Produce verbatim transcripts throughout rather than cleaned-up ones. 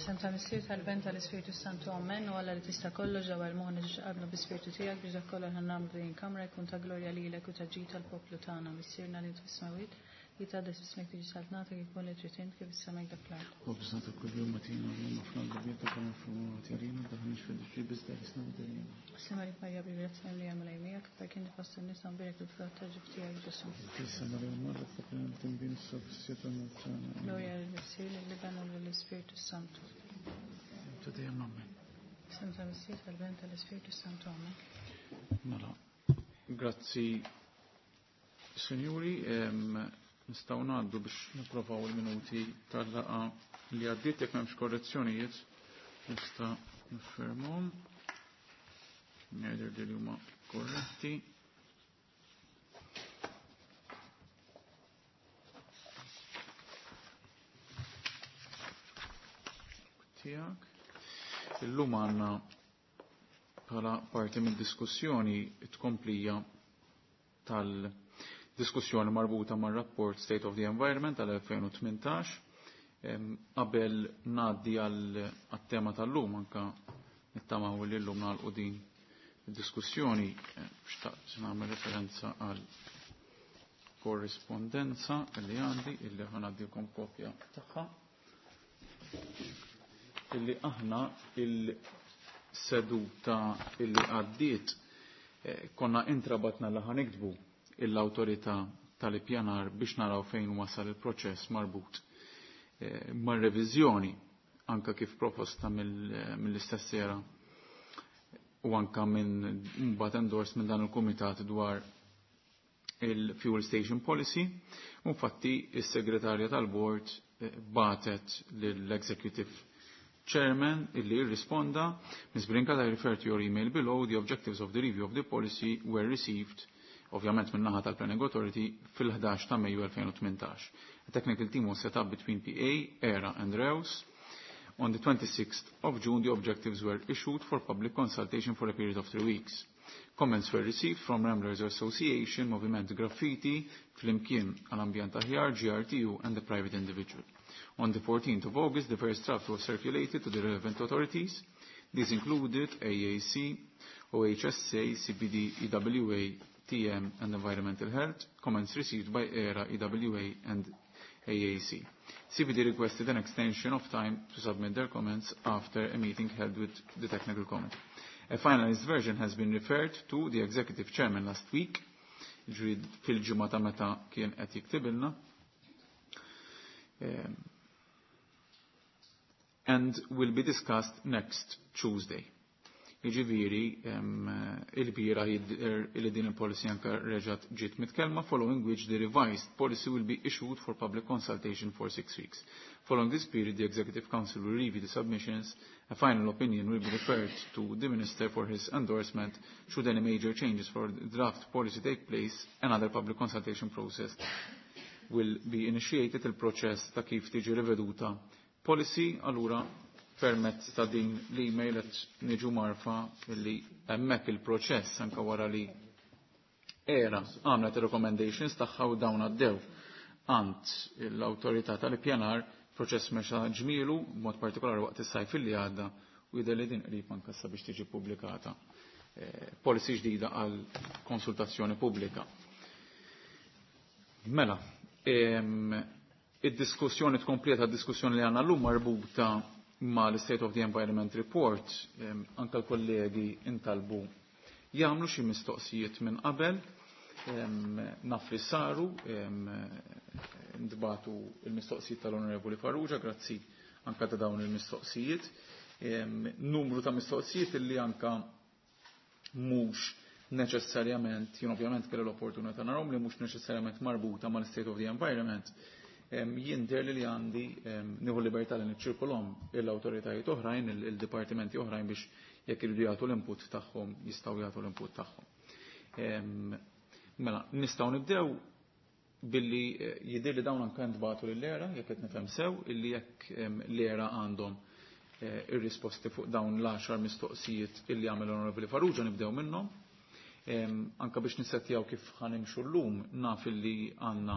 F'isem tal-Missier, tal-Iben, tal-Ispirtu Santu, Amen. U Alla li tista' kollox dawwar moħħna ġo qalbna bi-Spirtu tiegħek biex dak kollha ħa nagħmlu din il-kamra jkun ta' glorja lilek u ta' ġid tal-poplu tagħna. Missierna li int fis-smewwiet, jitqaddes ismek, tiġi saltnatek, ikun li trid int kif is-sema dak fl-art. Ħobżna ta' kuljum agħtina llum, aħfrilna dnubietna kif naħfru aħna tdaħħalniex fit-tiġrib iżda eħlisna mid-deriema. Sliem għalik Marija, bil-grazzja l-Mulej miegħek, imberek inti fost in-nisa, mbierek il-frott tal-ġuf tiegħek Ġesù. Qdisa Marija Omm Alla, itlob għalina midinbin issa u fis-siegħa tal-mewt tagħna. Glorja lill-Missier, lill-Iben u lill-Ispirtu Santu. Ta' dejjem amen. F'isem tal-Missier, tal-Iben, tal-Ispirtu Santu, Amen. Mela, grazzi Sinjuri, nistgħu ngħaddu biex napprovaw il-minuti tal-laqgħa li għaddiet. Jekk m'hemmx korrezzjonijiet nista' niffermhom. Ngħidir li huma korretti. Tiegħek. Illum għandna bħala parti mid-diskussjoni tkomplija tal-diskussjoni marbuta mar-rapport State of the Environment tal-elfejn u tmintax. Qabel ngħaddi għal tema tal-lum, anka nittamaw li llum nagħlqu din id-diskussjoni, xtaqt nagħmel referenza għal korrispondenza li għandi, illi ħa ngħaddilkom kopja tagħha, illi aħna il-seduta illi għaddiet eh, konna intrabatna li ħa niktbu l-awtorità tal-ippjanar biex naraw fejn wasal il-proċess marbut eh, mar-reviżjoni anka kif proposta mill-istess ERA u anka minn mbagħad endorsed minn dan il-kumitat dwar il-Fuel Station Policy. Infatti, is-segretarja tal-board eh, bagħtet lill-Executive Chairman illi irrisponda: "Miz Brincat, I refer to your email below. The objectives of the review of the policy were received," ovvjament minn naħa tal-Planning Authority, fil-ħdax ta' Mejju elfejn u tmintax. "A technical team was set up between P A, ERA and REWS. On the twenty-sixth of June, the objectives were issued for public consultation for a period of three weeks. Comments were received from Ramblers Association, Moviment Graffiti, Flimkien għal-Ambjent Aħjar, G R T U and the private individual. On the fourteenth of August, the first draft was circulated to the relevant authorities. These included A A C, O H S A, C B D, E W A, T M and Environmental Health. Comments received by ERA, E W A and A A C. C B D requested an extension of time to submit their comments after a meeting held with the technical committee. A finalized version has been referred to the executive chairman last week," ġifieri fil-ġimgħa ta' meta kien qed jiktibilna, um, "and will be discussed next Tuesday." Jiġifieri il-bieraħ li din il-policy anka reġgħet ġiet mitkellma, "following which the revised policy will be issued for public consultation for six weeks. Following this period, the Executive Council will review the submissions. A final opinion will be referred to the Minister for his endorsement. Should any major changes for the draft policy take place, another public consultation process will be initiated." Il-proċess ta' kif tiġi riveduta policy, allura permezz ta' din l-email qed niġu mgħarrfa li hemmhekk il-proċess anke wara li ERA għamlet recommendations tagħha u dawn għaddew għand l-awtorità tal-ippjanar, proċess mexa ġmielu, b'mod partikolari waqt is-sajf li għadda, u jidher li din qrib anke biex tiġi pubblikata eh, policy ġdida għal konsultazzjoni pubblika. Mela, id-diskussjoni tkompleta, diskussjoni li għandna llum marbuta ma l-State of the Environment Report, anka l-kollegi intalbu jagħmlu xi mistoqsijiet minn qabel, naf li saru, ntbagħtu il-mistoqsijiet tal-Onorevoli Farrugia, grazzi anka ta' dawn il-mistoqsijiet. Numru ta' mistoqsijiet illi anka mhux neċessarjament, jien ovvjament kelli l-opportunità narahom, li mhux neċessarjament marbuta mal-State of the Environment, jien li li għandi nieħu libertà li niċċirkolhom l-awtoritajiet oħrajn, il-dipartimenti oħrajn, biex jekk iridu jagħtu l-input tagħhom, jistgħu jagħtu l-input tagħhom. Mela, nistgħu nibdew billi eh, jidher li dawn anke ntbagħtu lill-ERA, jekk qed nifhem sew, illi jekk l-ERA għandhom eh, ir-risposti fuq dawn l-għaxar mistoqsijiet illi għamel l-Onorevoli Farrugia, nibdew minnhom. Anka biex nissettjaw kif ħa nimxu llum, naf illi għandna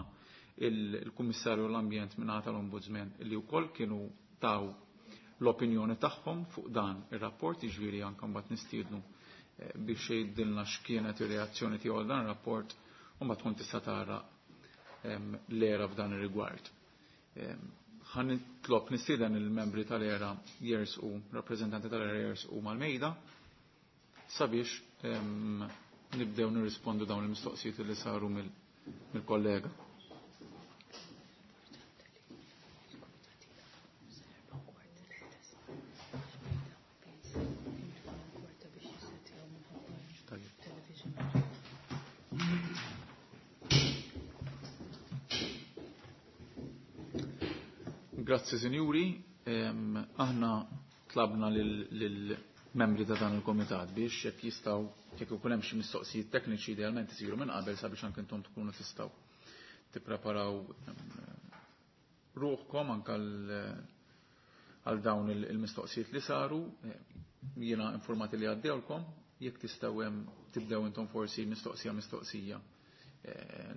il-Kummissarju l-Ambjent minn tal-Ombudsman li wkoll kienu taw l-opinjoni tagħhom fuq dan ir-rapport, jiġifieri anke mbagħad nistiednu biex jgħidilna x'kienet ir-reazzjoni tiegħu għal dan ir-rapport u mbagħad tkun tista' tara l-ERA f'dan ir-rigward. Ħa nitlob nistieden il-membri tal-ERA jersqu, rappreżentanti tal-ERA jersqu mal-mejda sabiex nibdew nirrispondu dawn il-mistoqsijiet li saru mill-kollega. Grazzi, sinjuri. Aħna tlabna lill-membri ta' dan il-komitat biex jekk jistgħu jekk ikun hemm xi mistoqsijiet tekniċi idealment isiru minn qabel sabiex anke intom tkunu tistgħu tippreparaw ruħkom anke għal dawn il-mistoqsijiet li saru. Jiena informati li għaddewlkom, jekk tistgħu hemm tibdew intom forsi mistoqsija mistoqsija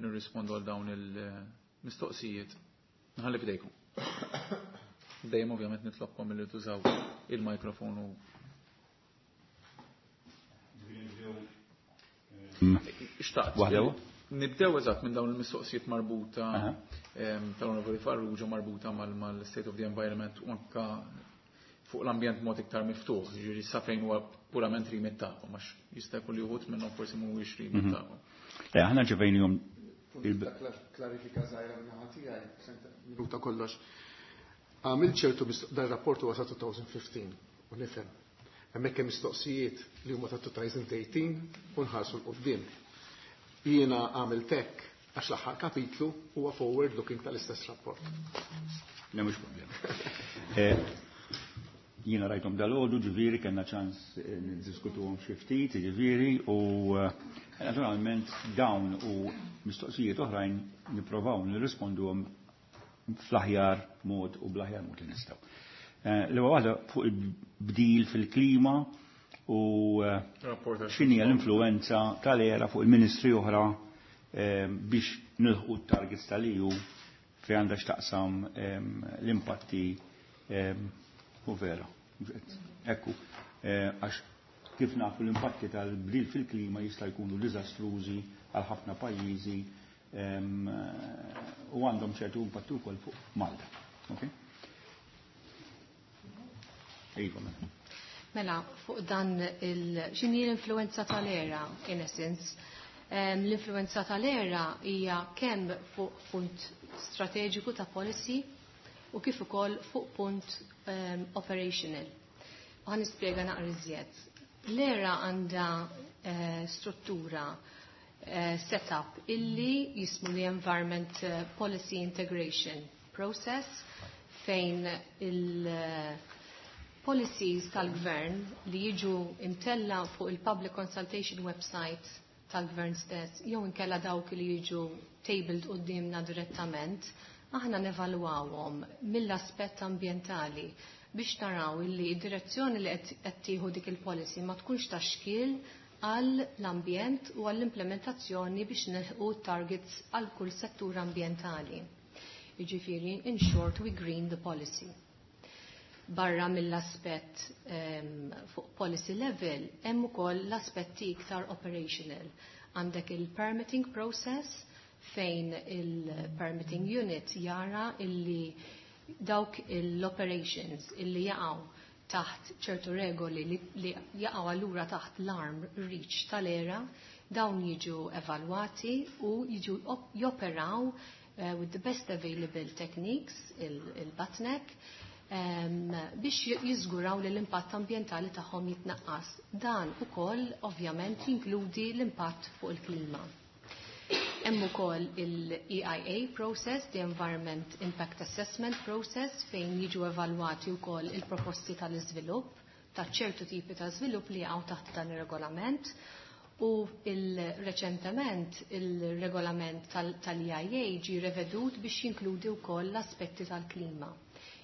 nirrispondu għal dawn il-mistoqsijiet. Nħalli f'idejkom. Dejjem ovvjament nitlobkom li tużaw il-mikrofonu. Xtaqt. Nibdew eżatt minn dawn il-mistoqsijiet marbuta tal-Onorevoli Farrugia marbuta mal-State of the Environment u anka fuq l-ambjent mod iktar miftuħ, ġifieri sa fejn huwa purament remit tagħkom, għax jista' jkun li wħud minnhom forsi mhuwiex remit tagħkom. Le, aħna ġevejnihom klarifika żgħira minn naħa tiegħi, minuta kollox. Għamil ċertu dan rapport huwa ta' twenty fifteen u nifhem. Hemmhekk hemm mistoqsijiet li huma ta' twenty eighteen u nħarsu 'l quddiem. Jiena għamilt hekk għax l-aħħar kapitlu huwa forward looking tal-istess rapport. Le, mhux problema. Jiena rajthom dalgħodu, ġifieri kellna ċans niddiskutuhom xi ftit, ġifieri, u naturalment dawn u mistoqsijiet oħrajn nipprovaw nirrisponduhom fl-aħjar mod u bl-aħjar mod li nistgħu. L-ewwel waħda fuq il-bdil fil-klima u x'inhi l-influenza tal-ERA fuq il-ministri oħra biex nilħqu t-targets tal-E U fejn għandha x'taqsam l-impatti u vera. Ekku, għax kif nafu l-impatti tal-bdil fil-klima jista' jkunu diżastrużi għal ħafna pajjiżi u għandhom ċertu impatti wkoll fuq Malta. Okay? Iva, mela. Mela, fuq dan il x'inhi l-influenza tal-ERA, in essence. L-influenza tal-ERA hija kemm fuq punt strateġiku ta' policy u kif ukoll fuq punt um, operational. U ħa nispjega naqra iżjed. L-ERA għandha uh, struttura uh, setup illi jismu the Environment Policy Integration Process fejn il- uh, policies tal-gvern li jiġu imtella fuq il-public consultation website tal-gvern stess, jew inkella dawk li jiġu tabled qudiemna direttament, aħna nevalwawhom mill-aspett ambjentali biex naraw illi id-direzzjoni li qed tieħu dik il-policy ma tkunx ta' xkiel għal l-ambjent u għall-implementazzjoni biex nilħqu targets għal kull settur ambjentali. Jiġifieri, in short, we green the policy. Barra mill-aspett um, fuq policy level, hemm ukoll l-aspetti iktar operational. Għandek il-permitting process fejn il-permitting unit jara illi dawk l-operations illi jaqgħu taħt ċertu regoli li, li jaqgħu allura taħt l-arm reach tal-ERA, dawn jiġu evalwati u jiġu joperaw uh, with the best available techniques, il-BATNEC, um, biex jiżguraw li l-impatt ambjentali tagħhom jitnaqqas. Dan ukoll ovvjament jinkludi l-impatt fuq il-klima. Hemm ukoll il-E I A process, the Environment Impact Assessment Process, fejn jiġu evalwati wkoll il-proposti tal-iżvilupp, ta' ċertu tipi ta' żvilupp li jaqgħu taħt dan ir-regolament. U il-reċentement il-regolament tal-E I A ġi revedut biex jinkludi wkoll l-aspetti tal-klima.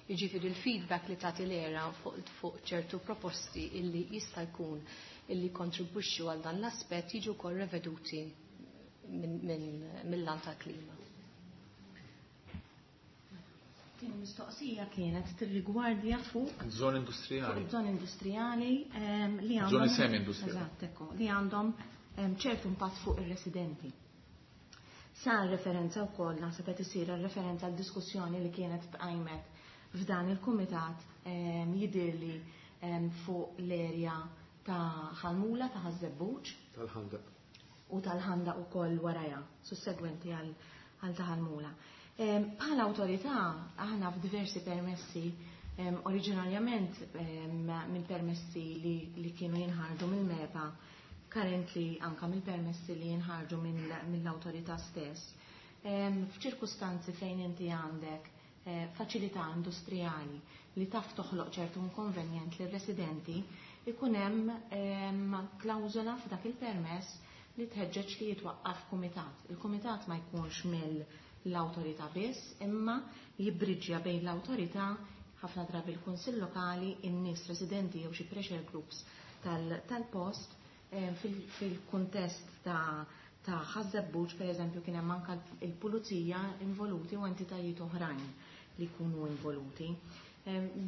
Jiġifieri il-feedback li tagħti l-ERA fuq fu ċertu proposti illi jista' jkun illi kontribwixxu għal dan l-aspett jiġu wkoll reveduti mill-lan tal-klima. Tieni mistoqsija kienet tirrigwardja fuq Żoni industrijali. Fuq żoni industrijali li għandhom Żoni semi-industrijali. Eżatt, ekku, li għandhom ċertu impatt fuq ir-residenti. Sar referenza wkoll naħseb qed isir referenza għal diskussjoni li kienet tqajmet f'dan il-kumitat jidhirli fuq l-erja ta' Ħal Mula ta' Ħaż-Żebbuġ. Tal-Ħandaq. U tal-Ħandaq ukoll warajha, sussegwenti għal ta' Ħal Mula. Bħala awtorità aħna f'diversi permessi, oriġinarjament minn permessi li, li kienu jinħarġu mill-MEPA, currently anka mill-permessi li jinħarġu mill-awtorità stess, f'ċirkustanzi fejn inti għandek faċilità industrijali li taf toħloq ċertu inkonvenjent lir-residenti, ikun hemm klawżola f'dak il-permess li tħeġġeġ li jitwaqqaf kumitat. Il-kumitat ma jkunx mill l-awtorità biss, imma jibbriġġja bejn l-awtorità, ħafna drabi l-kunsill lokali, in-nies residenti jew xi pressure groups tal-post, fil-kuntest ta' ta' Ħaż-Żebbuġ, per eżempju, kien hemm anke il-pulizija involuti u entitajiet oħrajn li jkunu involuti.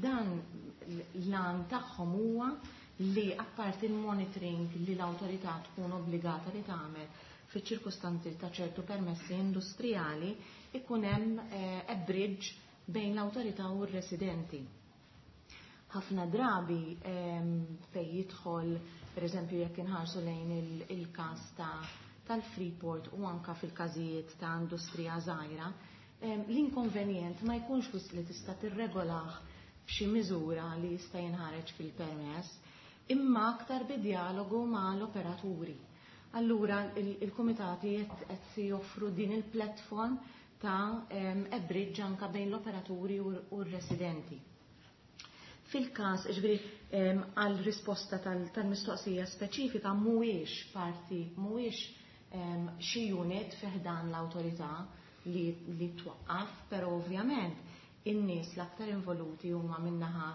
Dan l-għan tagħhom huwa li apparti il-monitoring li l-awtorità tkun obbligata li tagħmel fiċ-ċirkustanzi ta' ċertu permessi industrijali, ikun hemm a bridge bejn l-awtorità u r-residenti. Ħafna drabi fejn jidħol, per eżempju, jekk inħarsu lejn il-każ tal-Freeport u anka fil-każijiet ta' industrija żgħira, l-inkonvenjent ma jkunx wisq li tista' tirregolah b'xi miżura li jista' jinħareġ fil-permess, imma aktar bi dialogu ma' l-operaturi. Allura il-komitati qed joffru din il-platform ta' a bridge anka bejn l-operaturi u r-residenti. Fil-każ, ġifieri, għal risposta tal-mistoqsija speċifika mhuwiex parti, mhuwiex xi unit fi ħdan l-awtorità li, li twaqqaf, però ovvjament in-nies l-aktar involuti huma min-naħa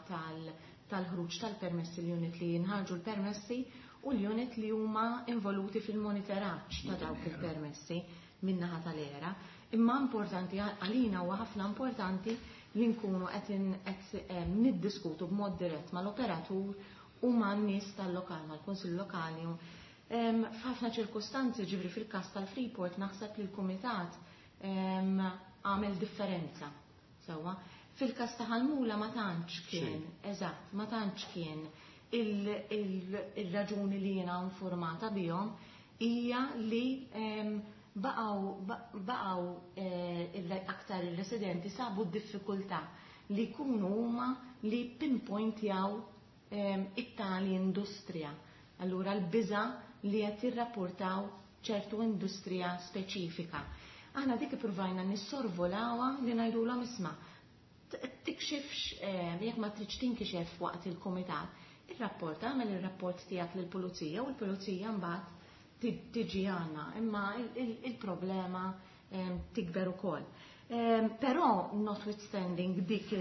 tal-ħruġ tal-permessi, l-unit li jinħarġu l-permessi u l-unit li huma involuti fil-monitoraġġ ta' dawk il-permessi min-naħa tal-ERA. Imma importanti għalina huwa ħafna importanti li nkunu qed niddiskutu b'mod dirett mal-operatur u man-nies tal-lokal, mal-kunsill lokali. F'ħafna ċirkustanzi, ġifri fil-każ tal-Freeport, naħseb li l-kumitat għamel differenza. Sewwa. Fil-każ ta' Ħal Mula ma tantx kien, eżatt, ma tantx kien il-raġuni li jiena informata bihom hija li baqgħu baqgħu aktar il-residenti sabu d-diffikultà li jkunu huma li pinpointjaw it-tali industrija. Allura l-biża li qed jirrapportaw ċertu industrija speċifika. Aħna dik ippruvajna nissorvolawha li ngħidulhom isma' tikxifx jekk ma tridx tinkixef waqt il-kumitat, ir-rapport għamel ir-rapport tiegħek lill-pulizija u l-pulizija mbagħad tiġi għandna, imma il-problema tikber ukoll. Però notwithstanding dik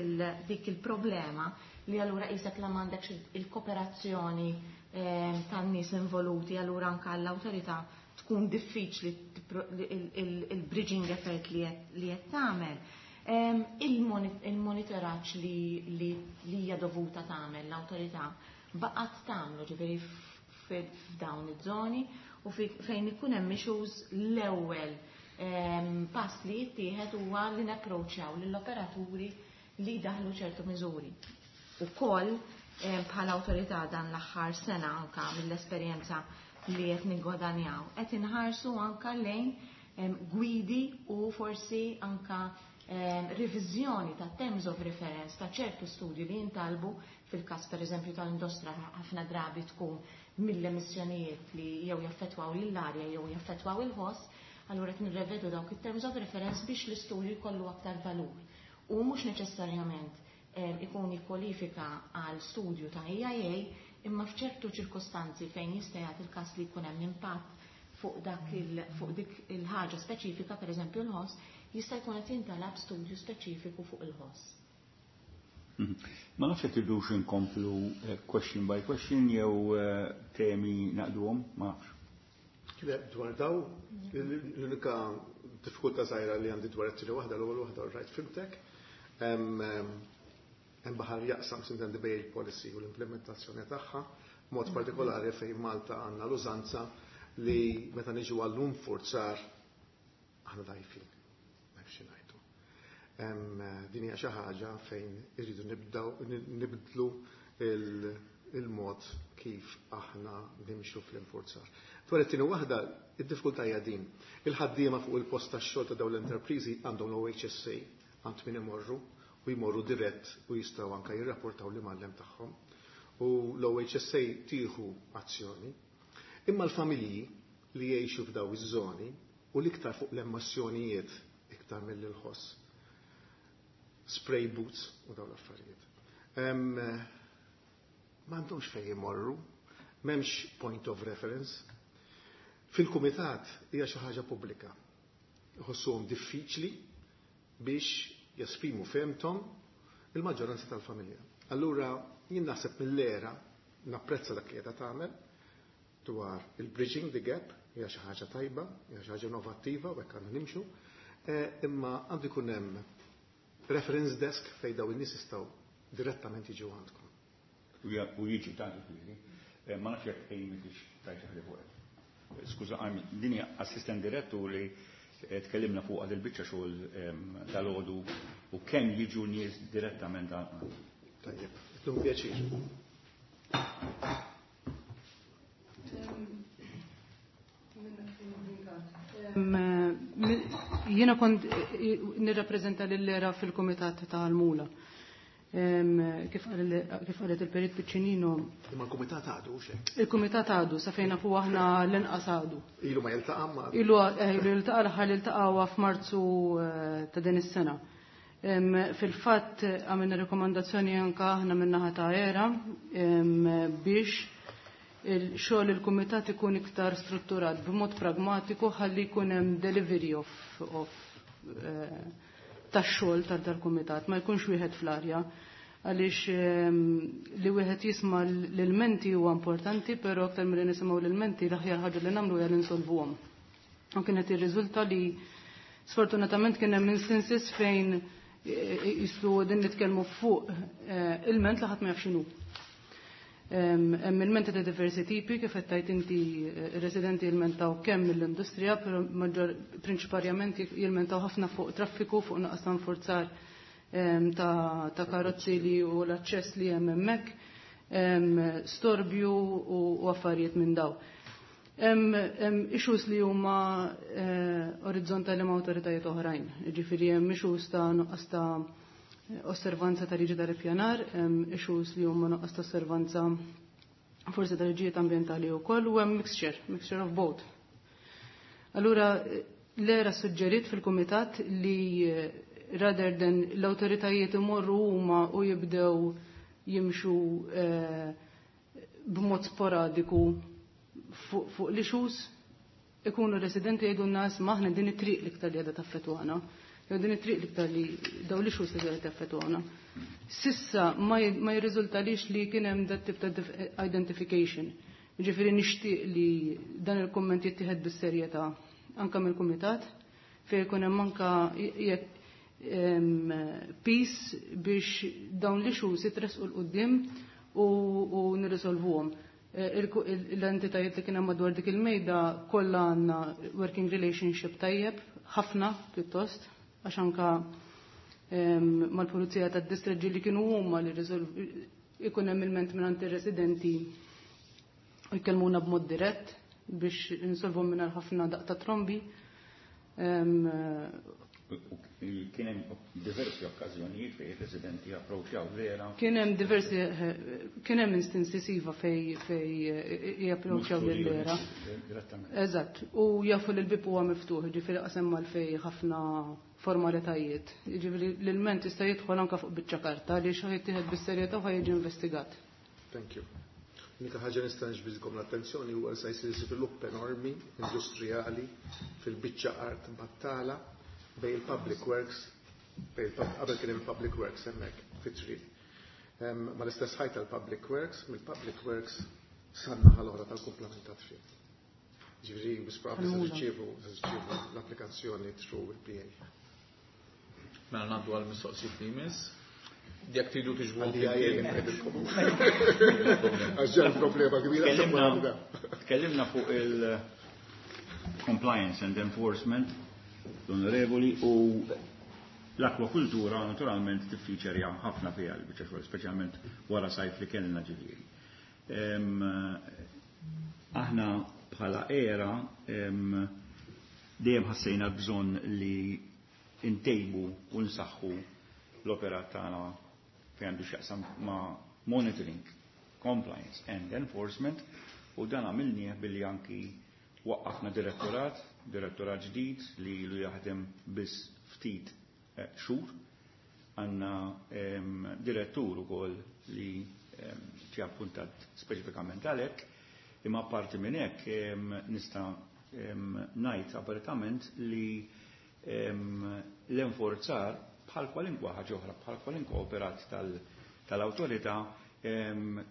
il-problema li allura qisek la m'għandekx il-kooperazzjoni tan-nies involuti, allura anke għall-awtorità tkun diffiċli il-bridging effort li qed tagħmel. Il-monitoraġġ li hija dovuta tagħmel l-awtorità baqgħet tagħmlu, ġifieri f'dawn iż-żoni u fejn ikun hemm issues l-ewwel pass li jittieħed huwa li napproċċjaw lill-operaturi li daħlu ċertu miżuri. Ukoll bħala awtorità dan l-aħħar sena anka mill-esperjenza li qed nigwadanjaw, qed inħarsu anka lejn gwidi u forsi anka reviżjoni ta' terms of reference ta' ċertu studji li jintalbu fil-każ pereżempju tal-industra ħafna drabi tkun mill-emissjonijiet li jew jaffettwaw lill-arja jew jaffettwaw il-ħoss, allura qed nirrevedu dawk it-terms of reference biex l-istudju jkollu aktar valur. U mhux neċessarjament ikun jikkwalifika għal studju ta' E I A, imma f'ċertu ċirkostanzi fejn jista' jagħti il-każ li jkun hemm impatt fuq dak il, fuq dik il-ħaġa speċifika, pereżempju l-ħoss, jista' jkun qed jintalab studju speċifiku fuq il-ħoss. Ma nafx jekk tridux inkomplu question by question jew temi naqduhom, ma nafx. Le, dwar daw, l-unika diffikultà żgħira li għandi dwar it-tieni waħda, l-ewwel waħda rajt fimtek. Hemm baħar jaqsam sintendi bejn il-policy u l-implementazzjoni tagħha, mod partikolari fejn Malta għandna l-użanza li meta niġu għall-infurzar aħna dgħajfin, ma nafx ngħidu. Din hija xi ħaġa fejn irridu nibdew nibdlu il-mod kif aħna nimxu fl-infurzar. Dwar it-tieni waħda, id-diffikultà hija din. Il-ħaddiema fuq il-post tax-xogħol ta' dawn l-enterpriżi għandhom l-O H S A għand min imorru u jmorru dirett u jistgħu anke jirrapportaw l-imgħallem tagħhom. U l-O H S A tieħu azzjoni. Imma l-familji li jgħixu f'daw iż-żoni u l-iktar fuq l-emissjonijiet iktar mill-ħoss. Spray booths u dawn l-affarijiet. M'għandhomx fejn jmorru, m'hemmx point of reference. Fil-kumitat hija xi ħaġa pubblika. Iħossuhom diffiċli biex jesprimu fehmthom il-maġġoranza tal-familja. Allura jien naħseb mill-ERA napprezza dak li qiegħda tagħmel dwar il-bridging the gap, hija xi ħaġa tajba, hija xi ħaġa innovattiva u hekk għandna nimxu, eh, imma għandu jkun hemm reference desk fejn daw in-nies jistgħu direttament jiġu għandkom. U jiġu ta' ġifieri. Eh, ma nafx jekk Amy tix tajt ħli fuq. Skuża, din hija assistent direttur li eh, tkellimna fuq għad il-biċċa xogħol dal-għodu u kemm jiġu nies direttament għal. Tajjeb, tlum pjaċir. Jiena kont nirrappreżenta lill-ERA fil-Kumitat tal-Mula. Kif qalet il-Perit Piccinino. Imma l-Kumitat għadu xek? Il-Kumitat għadu, sa fejn nafu aħna l-inqas għadu. Ilu ma jiltaqa' ma? Ilu eh, ilu jiltaqa', l-aħħar jiltaqa' f'Marzu eh, ta' din is-sena. Fil-fatt għamilna rekomandazzjoni anka aħna min-naħa ta' ERA biex il-xogħol il-kumitat ikun iktar strutturat b'mod pragmatiku ħalli jkun hemm delivery of, of eh, tax-xogħol tal-kumitat, ma jkunx wieħed fl-arja, għaliex ehm, li wieħed jisma' l-ilmenti huwa importanti, però aktar milli nisimgħu l-ilmenti, l-aħjar ħaġa li nagħmlu hija li nsolvuhom. U kienet irriżulta li sfortunatament kien hemm instances fejn eh, jislu din nitkellmu fuq eh, ilment li ħadd ma jaf x'inhu. Hemm ilmenti ta' diversi tipi, kif qed tgħid inti, eh, residenti jilmentaw kemm mill-industrija, però maġġor prinċiparjament jilmentaw ħafna fuq traffiku, fuq nuqqas ta' nfurzar ta', ta karozzi li u l-aċċess li hemm hemmhekk, storbju u, u affarijiet minn daw. Hemm issues li huma eh, orizzontali ma' awtoritajiet oħrajn. Ġifieri hemm issues ta' nuqqas ta' osservanza ta' liġi tal-ippjanar, issues li huma nuqqas ta' osservanza forsi ta' liġijiet ambjentali wkoll, u hemm mixture, mixture of both. Allura l-ERA suġġerit fil-kumitat li eh, rather than l-awtoritajiet imorru huma u jibdew jimxu eh, b'mod sporadiku fuq l-issues, ikunu residenti jgħidu n-nas maħna din it-triq l-iktar li għadha taffetwana jew din it-triq l-iktar li daw l-issues li għadha taffetwana. Sissa ma jirriżultalix li kien hemm dat tip ta' identification. Ġifieri nixtieq li dan il-kumment jittieħed bis-serjetà anka mill-kumitat fejn jkun hemm anka jekk peace biex dawn l-issues jitresqu 'l quddiem u nirrisolvuhom. L-entitajiet li kien hemm madwar dik il-mejda kollha għandna working relationship tajjeb, ħafna pjuttost, għax anka mal-pulizija tad-distreġġi li kienu huma li ikun hemm ilment minn ir-residenti u jkellmuna b'mod dirett biex insolvu minn ħafna daqq ta' trombi. Kien hemm diversi okkażjonijiet fejn ir-residenti approċċjaw vera. Kien hemm diversi, kien hemm instances iva fej fej japproċċjaw lil-ERA. Eżatt, u jafu li l-bib huwa miftuħ, ġifieri qasem mal-fej ħafna formalitajiet. Ġifieri l-ilment jista' jidħol anke fuq biċċa karta li xi jittieħed bis-serjetà u ħajġi investigat. Thank you. Unika ħaġa nista' niġbidilkom l-attenzjoni huwa se jsir żvilupp enormi industrijali fil-biċċa art battala bej il-Public Works, bej qabel kien il-Public Works hemmhekk fit-triq. Ma l-istess ħajta tal-Public Works, mill-Public Works san-naħa l-oħra tal-kumplament ta' triq. Ġifieri, bis probabbli se tirċievu l-applikazzjoni through il-P A. Mela ngħaddu għal mistoqsijiet li jmiss. Jekk tridu tiġbu Għax ġar problema kbira. Tkellimna fuq il-compliance and enforcement, l-onorevoli, u l-akwakultura naturalment tiffiċerja ħafna fiha l-biċċa xogħol, speċjalment wara sajf li kellna ġifieri. Aħna bħala era dejjem ħassejna bżonn li ntejbu u nsaħħu l-operat tagħna fejn għandu x'jaqsam ma' monitoring, compliance and enforcement, u dan għamilnieh billi anki waqqafna direttorat, direttorat ġdid li ilu jaħdem biss ftit xhur. Għandna direttur ukoll li ġie appuntat speċifikament għalhekk, imma apparti minn hekk nista' ngħid apertament li l-enforzar bħal kwalinkwa ħaġa oħra, bħal kwalinkwa operat tal-awtorità,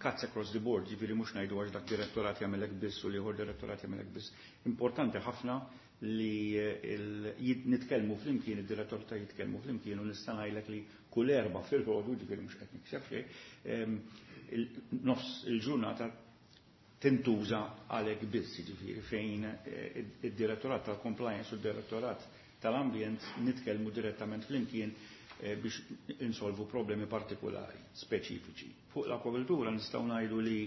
cuts across the board, ġifieri mhux ngħidu għax dak direttorat jagħmelek biss u l-ieħor direttorat jagħmelek biss. Importanti ħafna li nitkellmu flimkien, id-direttorat jitkellmu flimkien, u nista' ngħidlek li kull erba' fil-ħodu, ġifieri mhux qed nikseb xejn, nofs il-ġurnata tintuża għalhekk biss, ġifieri fejn id-direttorat tal-compliance u d-direttorat tal-ambjent nitkellmu direttament flimkien biex insolvu problemi partikolari, speċifiċi. Fuq l-akwakultura nistgħu ngħidu li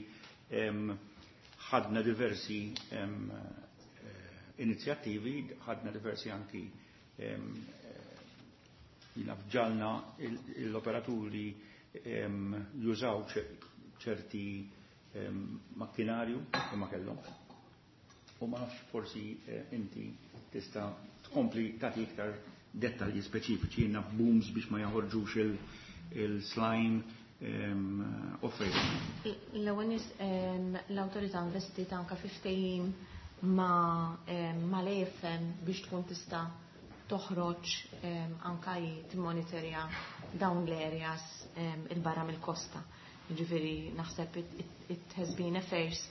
ħadna diversi inizjattivi, ħadna diversi anki ġalna l-operaturi jużaw ċerti makkinarju li ma kellhom. U ma nafx forsi inti tista' tkompli tagħti iktar dettalji speċifiċi, jiena booms biex ma jaħorġux il-slime offrejt. L-ewwel nies l-awtorità investiet anke fi ftehim ma' l-A F M biex tkun tista' toħroġ anka timmonitorja dawn l-areas il-barra mill-kosta. Ġifieri naħseb it has been a first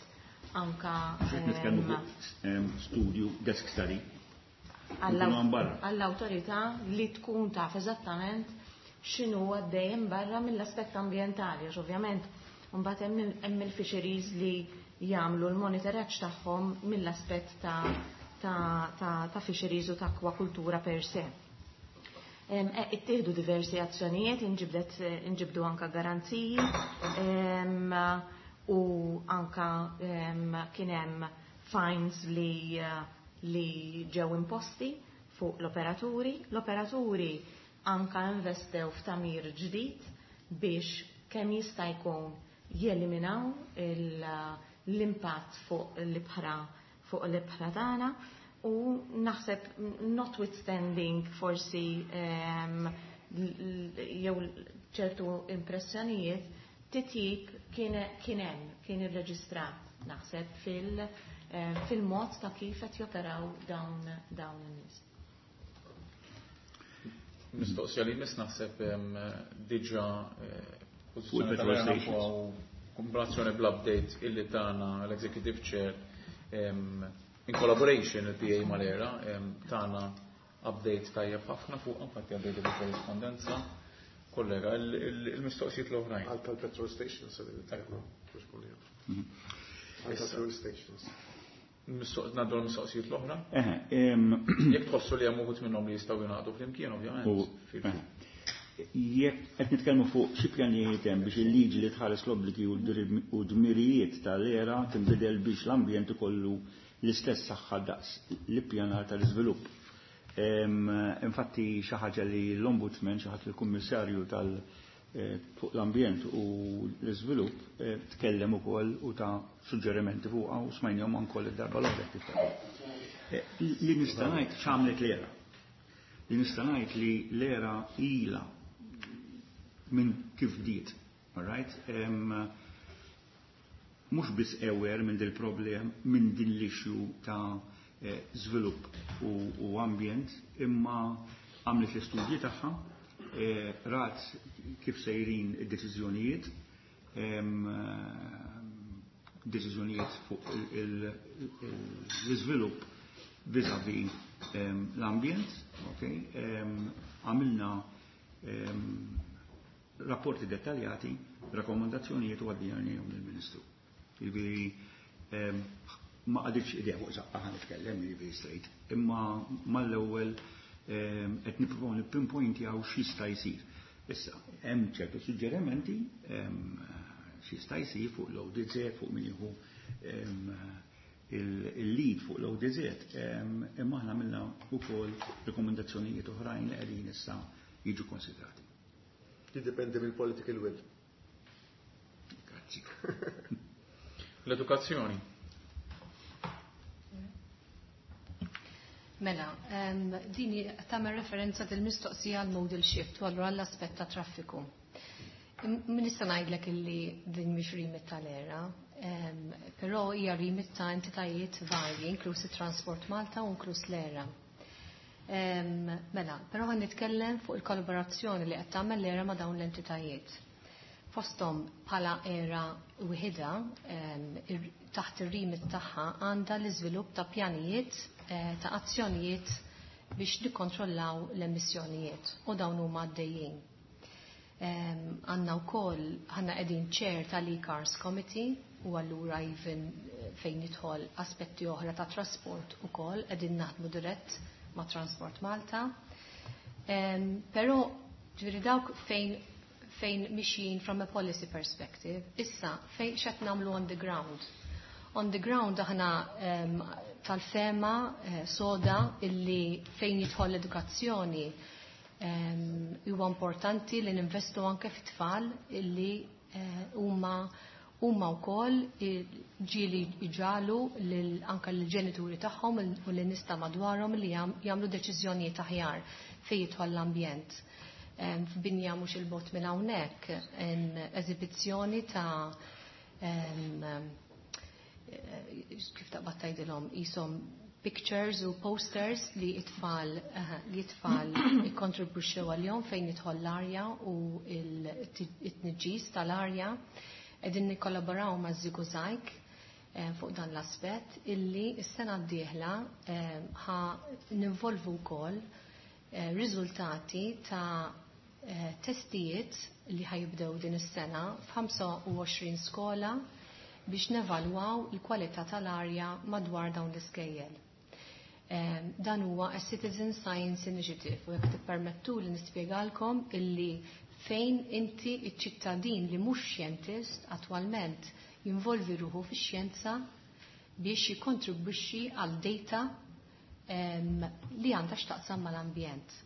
anka Nitkellmu fuq studju, desk study. Għall-awtorità li tkun taf eżattament x'inhu għaddejjem barra mill-aspett ambjentali, għax ovvjament mbagħad hemm il-fisheries li jagħmlu l-monitoraġġ tagħhom mill-aspett ta' ta', ta, ta fisheries u ta' akwakultura per se. Ittieħdu diversi azzjonijiet, inġibdu anka garanziji u anka kien hemm fines li, li ġew imposti fuq l-operaturi. L-operaturi anka investew f'tamir ġdid biex kemm jista' jkun jeliminaw l-impatt fuq l-ibħra fuq l-ibħra tagħna, u naħseb notwithstanding forsi jew ċertu impressjonijiet, titjib kien hemm, kien irreġistrat naħseb fil fil-mod ta' kif qed joperaw dawn dawn in-nies. Mistoqsija li miss naħseb diġà pożizzjoni kombinazzjoni bl-update illi tana l-Executive Chair in collaboration il-P A mal-ERA tana update tajjeb ħafna fuq, infatti għaddejt il-korrispondenza. Kollega, il-mistoqsijiet l-oħrajn. Għal tal-petrol stations. Għal tal-fuel stations. Ngħaddu l-mistoqsijiet l-oħra? Jekk tħossu li hemm uħud minnhom li jistgħu jingħaqdu flimkien, ovvjament. Jekk qed nitkellmu fuq xi pjanijiet hemm biex il-liġi li tħares l-obbligi u d-dmirijiet tal-ERA tinbidel biex l-ambjent ikollu l-istess saħħa daqs l-ippjanar tal-iżvilupp. Infatti xi ħaġa li l-Ombudsman, xi ħadd il-Kummissarju tal fuq l-ambjent u l-iżvilupp tkellem ukoll u ta' suġġerimenti fuqha u smajnihom ankoll id-darba l-oħra. Li nista' ngħid x'għamlet l-ERA. Li nista' ngħid li l-ERA ilha minn kif bdiet, all right? Mhux biss aware minn dil problem, minn din l-issue ta' żvilupp u, u ambjent, imma għamlet l-istudji tagħha, rat kif sejrin id-deċiżjonijiet, deċiżjonijiet fuq l-iżvilupp vis-a-vis l-ambjent, okay? Għamilna rapporti dettaljati, rakkomandazzjonijiet u għaddejnihom lill-Ministru. Jiġifieri ma qagħditx idea fuq żaqqa ħa nitkellem jiġifieri straight, imma mal-ewwel qed nippruvaw nipinpointjaw x'jista' jsir. Issa, hemm ċertu suġġerimenti x'jista' jsir fuq l-O D Z, fuq min jieħu il-lead fuq l-O D Z, imma aħna għamilna wkoll rekomendazzjonijiet oħrajn li qegħdin issa jiġu konsidrati. Jiddependi mill-political will. Grazzi. L-edukazzjoni. Mela, din tagħmel referenza del-mistoqsija għal modal shift u allura għall-aspett ta' traffiku. Min nista' ngħidlek illi din mhix remit tal-ERA, però hija remit ta' entitajiet varji, inkluż Transport Malta u inkluż l-ERA. Mela, però ħa nitkellem fuq il-kollaborazzjoni li qed tagħmel l-ERA ma' dawn l-entitajiet. Fosthom bħala ERA wieħeda taħt ir-remit tagħha għandha l-iżvilupp ta' pjanijiet ta' azzjonijiet biex nikkontrollaw l-emissjonijiet u dawn huma għaddejjin. Għandna wkoll għandna qegħdin chair tal-e-Cars Committee u allura even fejn jidħol aspetti oħra ta' trasport ukoll qegħdin naħdmu dirett ma' Transport Malta. Però ġifieri dawk fejn fejn mixjin from a policy perspective, issa fejn x'qed nagħmlu on the ground. On the ground aħna um, tal-fehma eh, soda illi fejn jidħol l-edukazzjoni huwa um, importanti li ninvestu anke fit-tfal illi huma uh, huma wkoll ġieli iġalu lil anke l-ġenituri tagħhom u lin nies ta' madwarhom li jagħmlu deċiżjonijiet aħjar fejn jidħol l-ambjent. F'binja mhux il-bogħod minn hawnhekk eżibizzjoni ta' kif taqbad tgħidilhom qishom pictures u posters li it-tfal li it-tfal ikkontribwixxew għalihom fejn jidħol l-arja u it-tniġġis tal-arja. Qegħdin nikkollaboraw ma' ŻiguŻajg fuq dan l-aspett illi s-sena d-dieħla ħa ninvolvu wkoll riżultati ta' testijiet li ħajibdew din is-sena f'ħamsa u għoxrin skola biex nevalwaw il-kwalità tal-arja madwar dawn l-iskejjel. Dan huwa a Citizen Science Initiative u jekk tippermettu li nispjegalkom illi fejn inti iċ-ċittadin li mhux xjentist attwalment jinvolvi ruħu fix-xjenza biex jikkontribwixxi għal data li għandha x'taqsam mal-ambjent.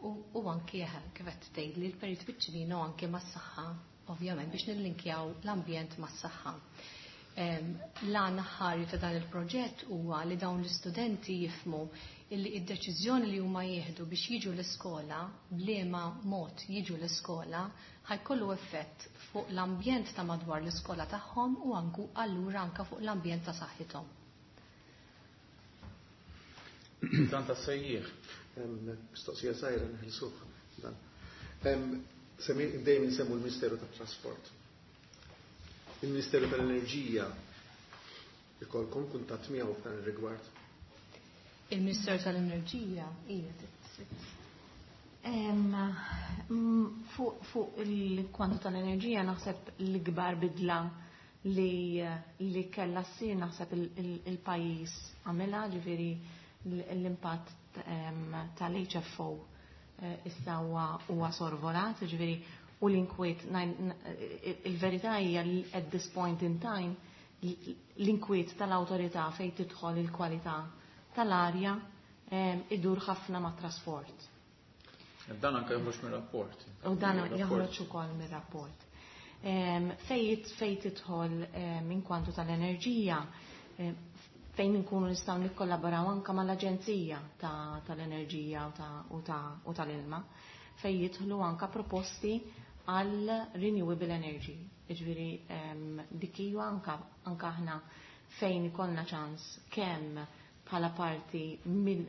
U, u anki kif qed tgħid li l-Perit Piccinino anke mas-saħħa, ovvjament biex nillinkjaw l-ambjent mas-saħħa. L-għan ħari ta' dan il-proġett huwa li dawn l-istudenti jifhmu illi id-deċiżjoni li huma jieħdu biex jiġu l-iskola, b'liema mod jiġu l-iskola, ħa jkollu effett fuq l-ambjent ta' madwar l-iskola tagħhom u anku allura anka fuq l-ambjent ta' saħħithom. Dan ta' sejjieħ. Mistoqsija żgħira neħilsuh dan. Dejjem nsemmu l-Ministeru tat-Trasport. Il-Ministeru tal-Enerġija ikolkom kuntatt miegħu f'dan ir-rigward? Il-Ministeru tal-Enerġija hija. Fuq il-kwantu tal-enerġija naħseb l-ikbar bidla li li kellha ssir naħseb il-pajjiż għamilha, ġifieri l-impatt tal-H F O issa huwa sorvolat, ġifieri u l-inkwiet, il-verità hija li at this point in time l-inkwiet tal-awtorità fejn tidħol il-kwalità tal-arja idur ħafna ma' trasport. Dan anke joħroġ mir-rapport. U dan joħroġ ukoll mir-rapport. Fejn fejn tidħol minn kwantu tal-enerġija, fejn inkunu nistgħu nikkollaboraw anke mal-Aġenzija tal-Enerġija u tal-Ilma, fejn jidħlu anke proposti għal renewable energy. Jiġifieri dik hija anke anke aħna fejn ikollna ċans kemm bħala parti mill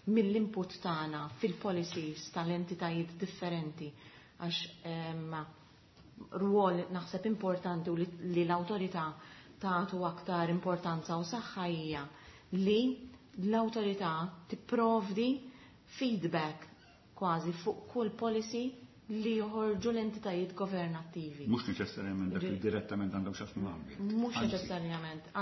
mill-input tagħna fil-policies tal-entitajiet differenti, għax rwol naħseb importanti u li l-awtorità tagħtu aktar importanza u saħħa hija li l-awtorità tipprovdi feedback kważi fuq kull policy li joħorġu l-entitajiet governattivi. Mhux neċessarjament dak li direttament għandhom x'jaqsmu mal-ambjent. Mhux neċessarjament,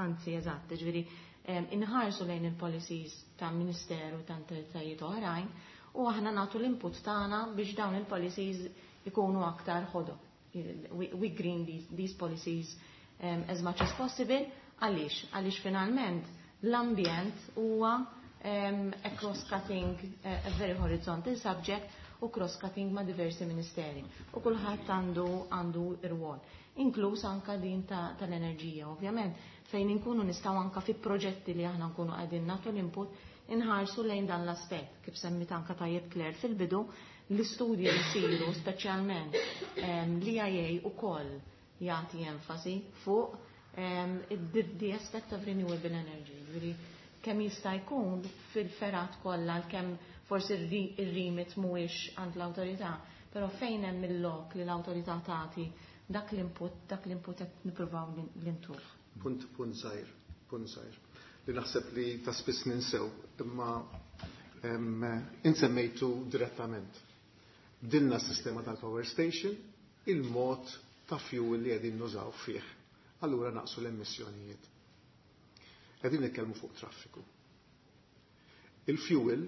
anzi eżatt, ġifieri inħarsu lejn il-policies ta' ministeru ta' entitajiet oħrajn u aħna nagħtu l-input tagħna biex dawn il-policies ikunu aktar ħodor. We, we green these, these policies um, as much as possible. Għaliex? Għaliex finalment l-ambjent huwa um, a cross-cutting, uh, a very horizontal subject u cross-cutting ma' diversi ministeri. U kulħadd għandu għandu rwol. Inkluż anka din tal-enerġija, ovvjament, fejn inkunu nistgħu anka fi proġetti li aħna nkunu qegħdin nagħtu l-input inħarsu lejn dan l-aspett. Kif semmit anka tajjeb Claire fil-bidu, l-istudji li jsiru speċjalment l-E I A ukoll jagħti enfasi fuq um, the, the aspect of renewable energy. Ġifieri kemm jista' jkun fil-fergħat kollha, kemm forsi ir-remit mhuwiex għand l-awtorità, però fejn hemm il-lok li l-awtorità tagħti dak l-input, dak l-input qed nippruvaw l-intuh. Punt, punt żgħir, punt żgħir. Li naħseb li ta' spiss ninsew, imma insemmejtu direttament. Bdilna s-sistema tal-power station, il-mod ta' fuel li qegħdin nużaw fih. Allura naqsu l-emissjonijiet. Qegħdin nitkellmu fuq traffiku. Il-fuel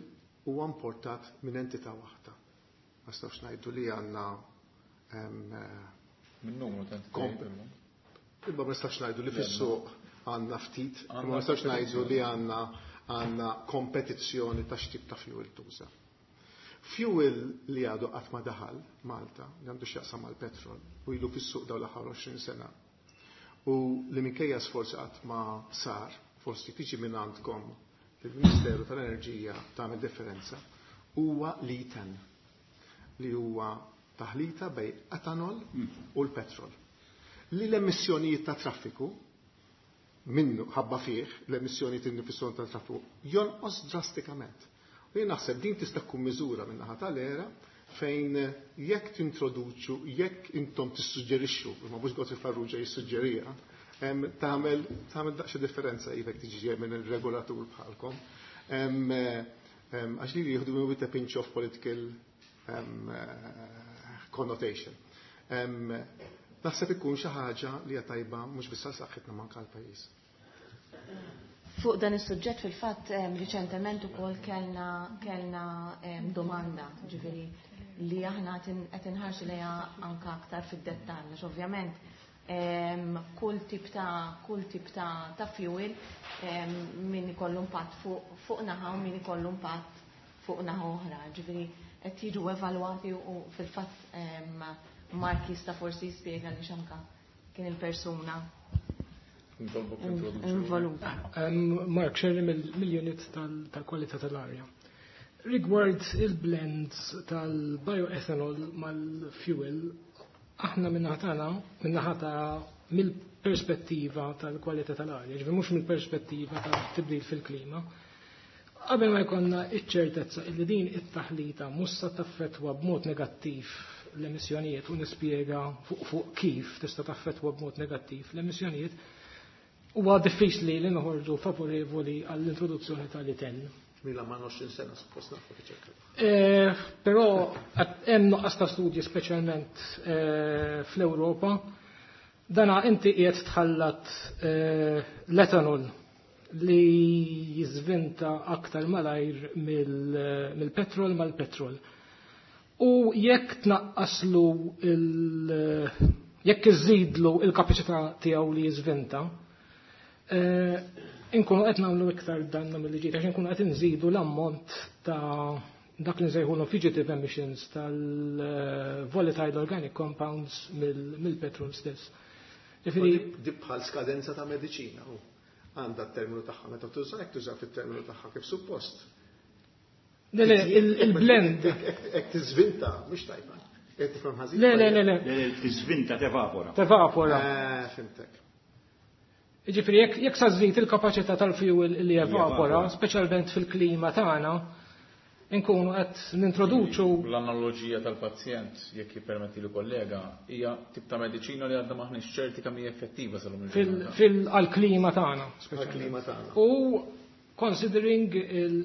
huwa importat minn entità waħda. Ma nistgħux ngħidu li għandna Minn numru ta' Imma ma nistax ngħidu li fis-suq għandna ftit, ma nistax ngħidu li għandna għandna kompetizzjoni ta' x'tip ta' fuel tuża. Fuel li għadu qatt ma daħal Malta, li għandu x'jaqsam mal-petrol, u ilu fis-suq dawn l-aħħar għoxrin sena. U li minkejja sforzi qatt ma sar, forsi tiġi minn għandkom il-Ministeru tal-Enerġija tagħmel differenza, huwa l-E ten, li huwa taħlita bejn etanol u l-petrol. Li l-emissjonijiet ta' traffiku minnu ħabba fih l-emissjonijiet innifishom ta' traffiku jonqos drastikament. U jien naħseb din tista' tkun miżura minn naħa tal-ERA fejn jekk tintroduċu, jekk intom tissuġġerixxu, imma mhux Godfrey Farrugia jissuġġerija, tagħmel tagħmel daqsxejn differenza jekk tiġi minn il-regolatur bħalkom. Għax li jieħdu with a pinch of political connotation. Naħseb ikun xi ħaġa li hija tajba mhux biss għal saħħitna, manka għall-pajjiż. Fuq dan is-suġġett fil-fatt riċentement ukoll kellna kellna domanda, ġifieri li aħna qed inħarsu lejha anka aktar fid-dettall, għax ovvjament kull tip ta' kull tip ta' ta' fuel min ikollu impatt fuq fuq naħa u min ikollu impatt fuq naħa oħra. Ġifieri qed jiġu evalwati u fil-fatt Mark jista' forsi jispjega li x'anka kien il-persuna involuta. Mark Sherry mill-unit tal-kwalità tal-arja. Rigward il-blends tal-bioethanol mal-fuel, aħna min-naħa tagħna, min-naħa ta' mill-perspettiva tal-kwalità tal-arja, ġifieri mhux mill-perspettiva tal-tibdil fil-klima, qabel ma jkollna iċ-ċertezza illi din it-taħlita mhux se taffettwa b'mod negattiv l-emissjonijiet, u nispjega fuq fuq kif tista' taffettwa b'mod negattiv l-emissjonijiet, huwa diffiċli li noħorġu favorevoli għall-introduzzjoni tal-E ten. Mila ma għoxrin sena suppost nafu riċerka. Eh, però hemm nuqqas ta' studji, speċjalment eh, fl-Ewropa. Dana inti qiegħed tħallat eh, l-etanol li jiżvinta aktar malajr mill-petrol mal-petrol. U jekk tnaqqaslu il- jekk iżidlu il-kapaċità tiegħu li jiżvinta, inkunu qed nagħmlu iktar dannu milli ġid, għax inkunu qed inżidu l-ammont ta' dak li nsejħulhom fugitive emissions tal-volatile organic compounds mill-petrol stess. Ġifieri di bħal skadenza ta' mediċina u għandha t-terminu tagħha meta tuża, jekk tuża fit-terminu tagħha kif suppost. Le, le, il-blend. Jekk tiżvinta, mhux tajba. Qed tifhem ħażin? Le, le, le, le. Tiżvinta, tevapora. Tevapora. Eh, fhimtek. Ġifieri jekk jekk sa żżid il-kapaċità tal-fuel li evapora, speċjalment fil-klima tagħna, inkunu qed nintroduċu L-analoġija tal-pazjent, jekk jippermetti li kollega, hija tip ta' mediċina li għadna maħniex ċerti kemm hija effettiva sal-lum il-ġurnata. Fil-klima tagħna. Għal-klima tagħna. U considering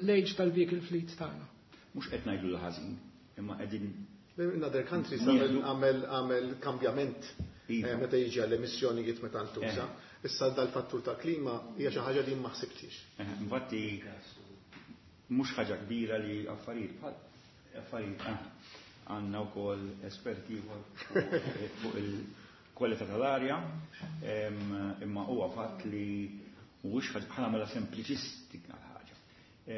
l-age tal-vehicle fleet tagħna. Mhux qed ngħidu l-ħażin, imma qegħdin In other countries għamel għamel kambjament Iva. eh, meta jiġi għall-emissjonijiet meta ntuża. Issa dal-fattur ta' klima hija xi ħaġa li ma ħsibtix. Eh, Infatti, mhux ħaġa kbira li affarijiet bħal affarijiet ah, għandna wkoll esperti ieħor fuq fuq il-kwalità tal-arja, em, imma huwa fatt li mhuwiex ħaġa bħala mela sempliċistika l-ħaġa.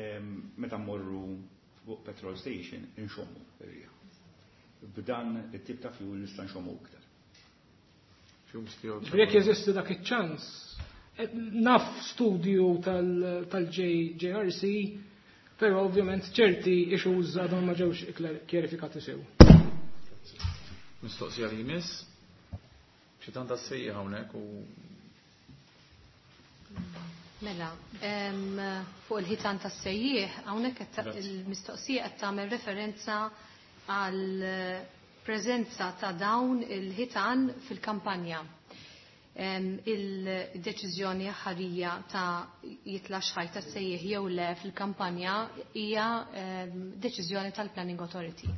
Em, Meta mmorru fuq petrol station inxommu ir-riħ. B'dan it-tip ta' fuel nista' nxommu iktar. Fumes dioxide. Ġifieri jekk jeżisti dak iċ-ċans, eh, naf studju tal-J R C, però ovvjament ċerti issues għadhom ma ġewx kjarifikati sew. Mistoqsija li jmiss, xi tant sejja hawnhekk u Mela, em, fuq il-ħitan tas-sejjieħ, hawnhekk qed ta- Grazzi. il-mistoqsija qed tagħmel referenza għal preżenza ta' dawn il-ħitan fil-kampanja. Em, Il-deċiżjoni ħarija ta' jitlax ħajt tas-sejjieħ jew le fil-kampanja hija em, deċiżjoni tal-Planning Authority.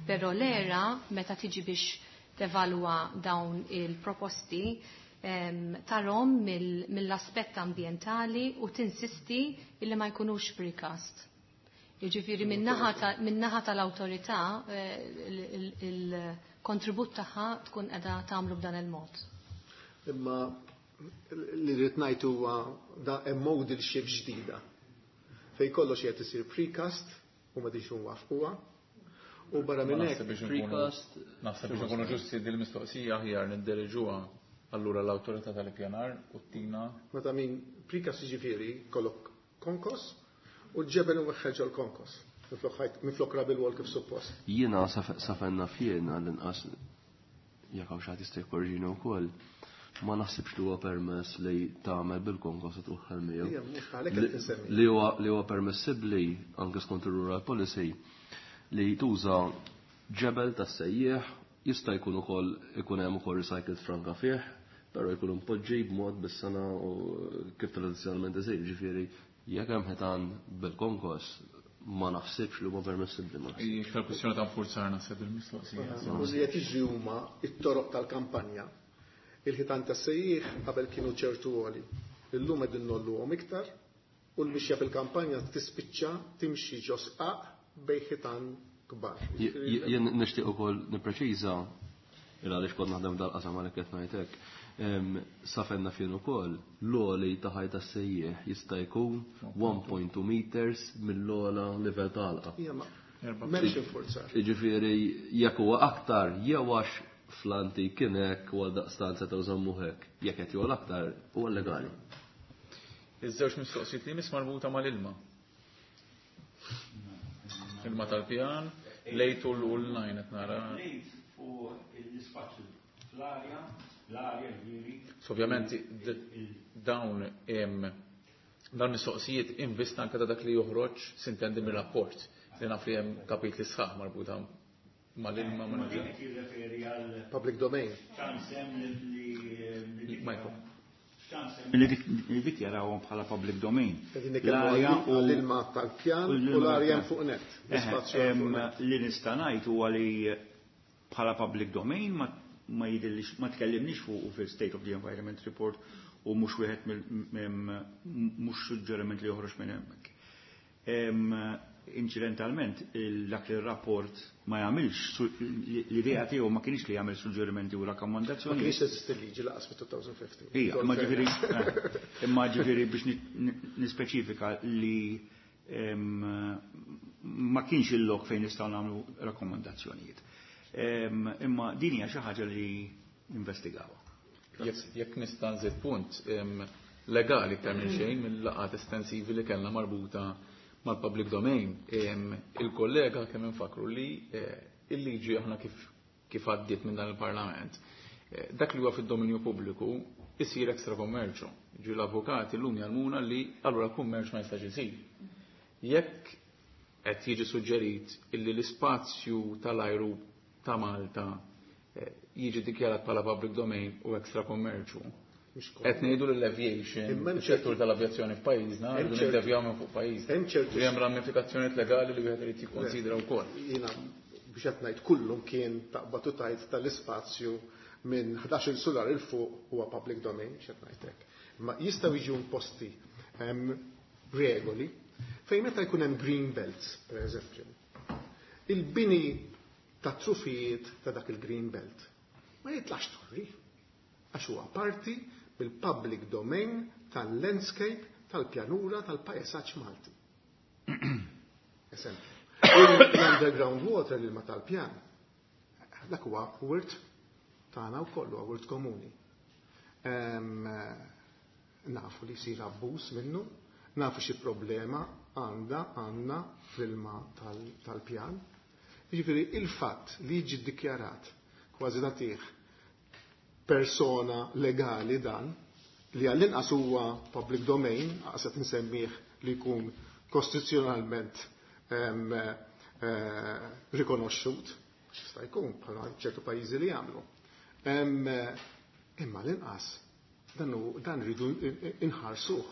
Però l-ERA, meta tiġi biex tevalwa dawn il-proposti, em, tarahom mill- mill-aspett ambientali u tinsisti illi ma jkunux precast. Jiġifieri min-naħa ta- min-naħa tal-awtorità eh, il- il- il-kontribut tagħha tkun qiegħda tagħmlu b'dan il-mod. Imma li rrid ngħid huwa da hemm modal shift ġdida. Fej kollox qed isir precast u ma diġ nwafquha. U barra minn hekk Naħseb biex nkunu Precast. naħseb biex nkunu ġusti din il-mistoqsija aħjar niddiriġuha allura l-awtorità tal-ippjanar u tina Meta min precast, jiġifieri kollok konkos u ġebel u weħħel l-konkos. Minflok ħajt- Minflok rubble wall kif suppost. Jiena sa fejn naf jiena, l-inqas, jekk hawn xi ħadd jista' jkorriġini wkoll, ma naħsibx li huwa permess li tagħmel bil-konkos u twaħħal miegħu. Ija, mhux għalhekk qed insemmi. Li huwa li huwa permessibbli anke skont ir-rural policy li tuża ġebel tas-sejjieħ, jista' jkun ukoll ikun hemm ukoll recycled franka fih, però jkun impoġġi b'mod bis-sena u kif tradizzjonalment isir, ġifieri jekk hemm ħitan bil-konkos ma naħsibx li huma permessibbli, ma naħsibx. Iktar kwestjoni ta' nfurzar naħseb il-mistoqsija. U li qed jiġri huma it-toroq tal-kampanja. Il-ħitan tas-sejjieħ qabel kienu ċertu għoli. Illum qegħdin ngħolluhom iktar u l-mixja fil-kampanja tispiċċa timxi ġo sqaq bejn ħitan kbar. Jien nixtieq ukoll nippreċiża il għaliex kont naħdem dal-qasam għalhekk qed ngħid hekk. Sa fejn naf jien ukoll l-għoli ta' ħajta sejjieħ jista' jkun one point two meters mill-ogħla livell ta' għalqa. Ija, ma m'hemmx infurzar. Jiġifieri jekk huwa aktar jew għax fl-antik kien hekk u għal daqstant setgħu żammu hekk, jekk qed jogħla aktar huwa legali. Iż-żewġ mistoqsijiet li jmiss marbuta mal-ilma. Ilma tal-pjan, l-eight u l-nine qed nara. L-eight fuq l-ispazju fl-arja, l-arja ġifieri. So ovvjament d- dawn em, dawn mistoqsijiet invista anke ta' dak li joħroġ sintendi mir-rapport li naf li hemm kapitli sħaħ marbuta mal-ilma. Ma mal din qed jirreferi għal Public domain. ċans hemm li Michael. li li dikjarawhom bħala public domain. Qegħdin nitkellmu L-arja u għall-ilma tal-pjan u u l-ilma l-arja tal-pjan. fuq net. Eh, L-ispazju em, fuq net. Li nista' ngħid huwa li bħala public domain ma ma jidillix ma tkellimniex fuq fil-State of the Environment Report u mhux wieħed mill mhux suġġeriment li joħroġ minn hemmhekk. Em, Inċidentalment, dak li r-rapport ma jagħmilx, su- l-idea tiegħu ma kienx li jagħmel suġġerimenti u Ma rakkomandazzjoni. kienx teżisti liġi lanqas fit-elfejn u ħmistax. Ija, imma ġifieri, eh, imma ġifieri biex ni- ni- nispeċifika li em, ma kienx il-lok fejn nistgħu nagħmlu rakkomandazzjonijiet. Em, Imma din hija xi ħaġa li investigawha. Jekk jekk nista' nżid punt em, legali iktar minn xejn mill-laqgħat estensivi li kellna marbuta mal-public domain, em, il-kollega kemm infakru li eh, il-liġi aħna kif kif għaddiet minn dan il-Parlament, eh, dak li huwa fid-dominju pubbliku isir extra commercio. Ġi l-avukati llum jgħallmuna li allura kummerċ ma jistax isir. Jekk qed jiġi suġġerit illi l-ispazju tal-ajru ta' Malta eh, jiġi dikjarat bħala public domain u extra commercio. Qed ngħidu l-aviation, il-settur tal-avjazzjoni f'pajjiżna, rridu niddevjaw minn fuq pajjiżna. Hemm ċertu Hemm ramifikazzjonijiet legali li wieħed irid jikkonsidra wkoll. Jiena biex qed ngħid kullum kien taqbad u tajt tal-ispazju minn ħdax-il sular il fuq huwa public domain, biex qed ngħid hekk. Ma jistgħu jiġu imposti regoli fejn meta jkun hemm green belts, per eżempju. Il-bini ta' trufijiet ta' dak il-green belt ma jitlax torri għax huwa parti mill-public domain tal-landscape tal-pjanura tal-pajsaġġ Malti. Eżempju. L-underground water l-ilma tal-pjan, dak huwa wirt tagħna wkoll huwa wirt komuni. Nafu li jsir abbuż minnu, nafu xi problema għandha għandna fl-ilma tal-pjan. Jiġifieri il-fatt li jiġi ddikjarat kważi nagħtih persona legali dan li għall-inqas huwa public domain, qed insemmih li jkun kostituzzjonalment rikonoxxut, jista' jkun bħala ċertu pajjiżi li jagħmlu. Imma l-inqas dan dan rridu inħarsuh,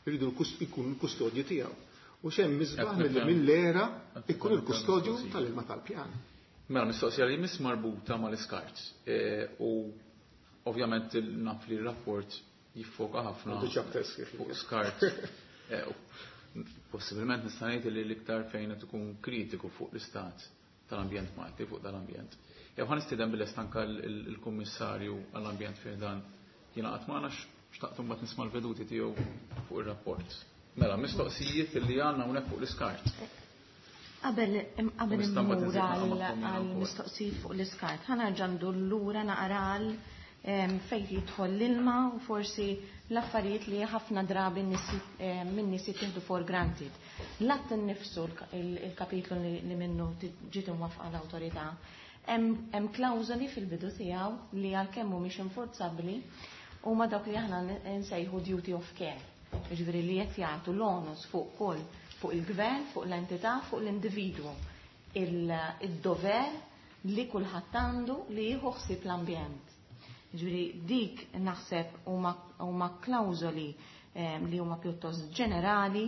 rridu jkun l-kustodju tiegħu. U xemm misbaħ mill-era ikun il-kustodju tal-ilma tal-pjan. Mela mistoqsija li miss marbuta mal-iskart u ovvjament naf li r-rapport jiffoka ħafna fuq skart. Possibilment nista' ngħid li l-iktar fejn qed ikun kritiku fuq l-istat tal-ambjent Malti, fuq dal-ambjent. Jew ħa nistieden bil anka l-kummissarju għall-ambjent fih dan jingħaqad magħna xtaqt imbagħad nisma' l-veduti tiegħu fuq ir-rapport. Mela, mistoqsijiet li għandna hawnhekk fuq l-iskart. Qabel qabel immur għal-mistoqsijiet fuq l-iskart, ħa nerġa' ndur lura naqra għal fejn jidħol l-ilma u forsi l-affarijiet li ħafna drabi min-nies jittieħdu for granted. L-att innifsu, il-kapitlu li minnu ġiet imwaffqa l-awtorità, hemm klawżoli fil-bidu tiegħu li għalkemm mhumiex inforzabbli huma dawk li aħna nsejħu duty of care. Jiġifieri li qed jagħtu l-onus fuq kull fuq il-gvern, fuq l-entità, fuq l-individwu. Il-dover li kulħadd għandu li jieħu ħsieb l-ambjent. Ġifieri dik naħseb huma klawżoli li huma pjuttost ġenerali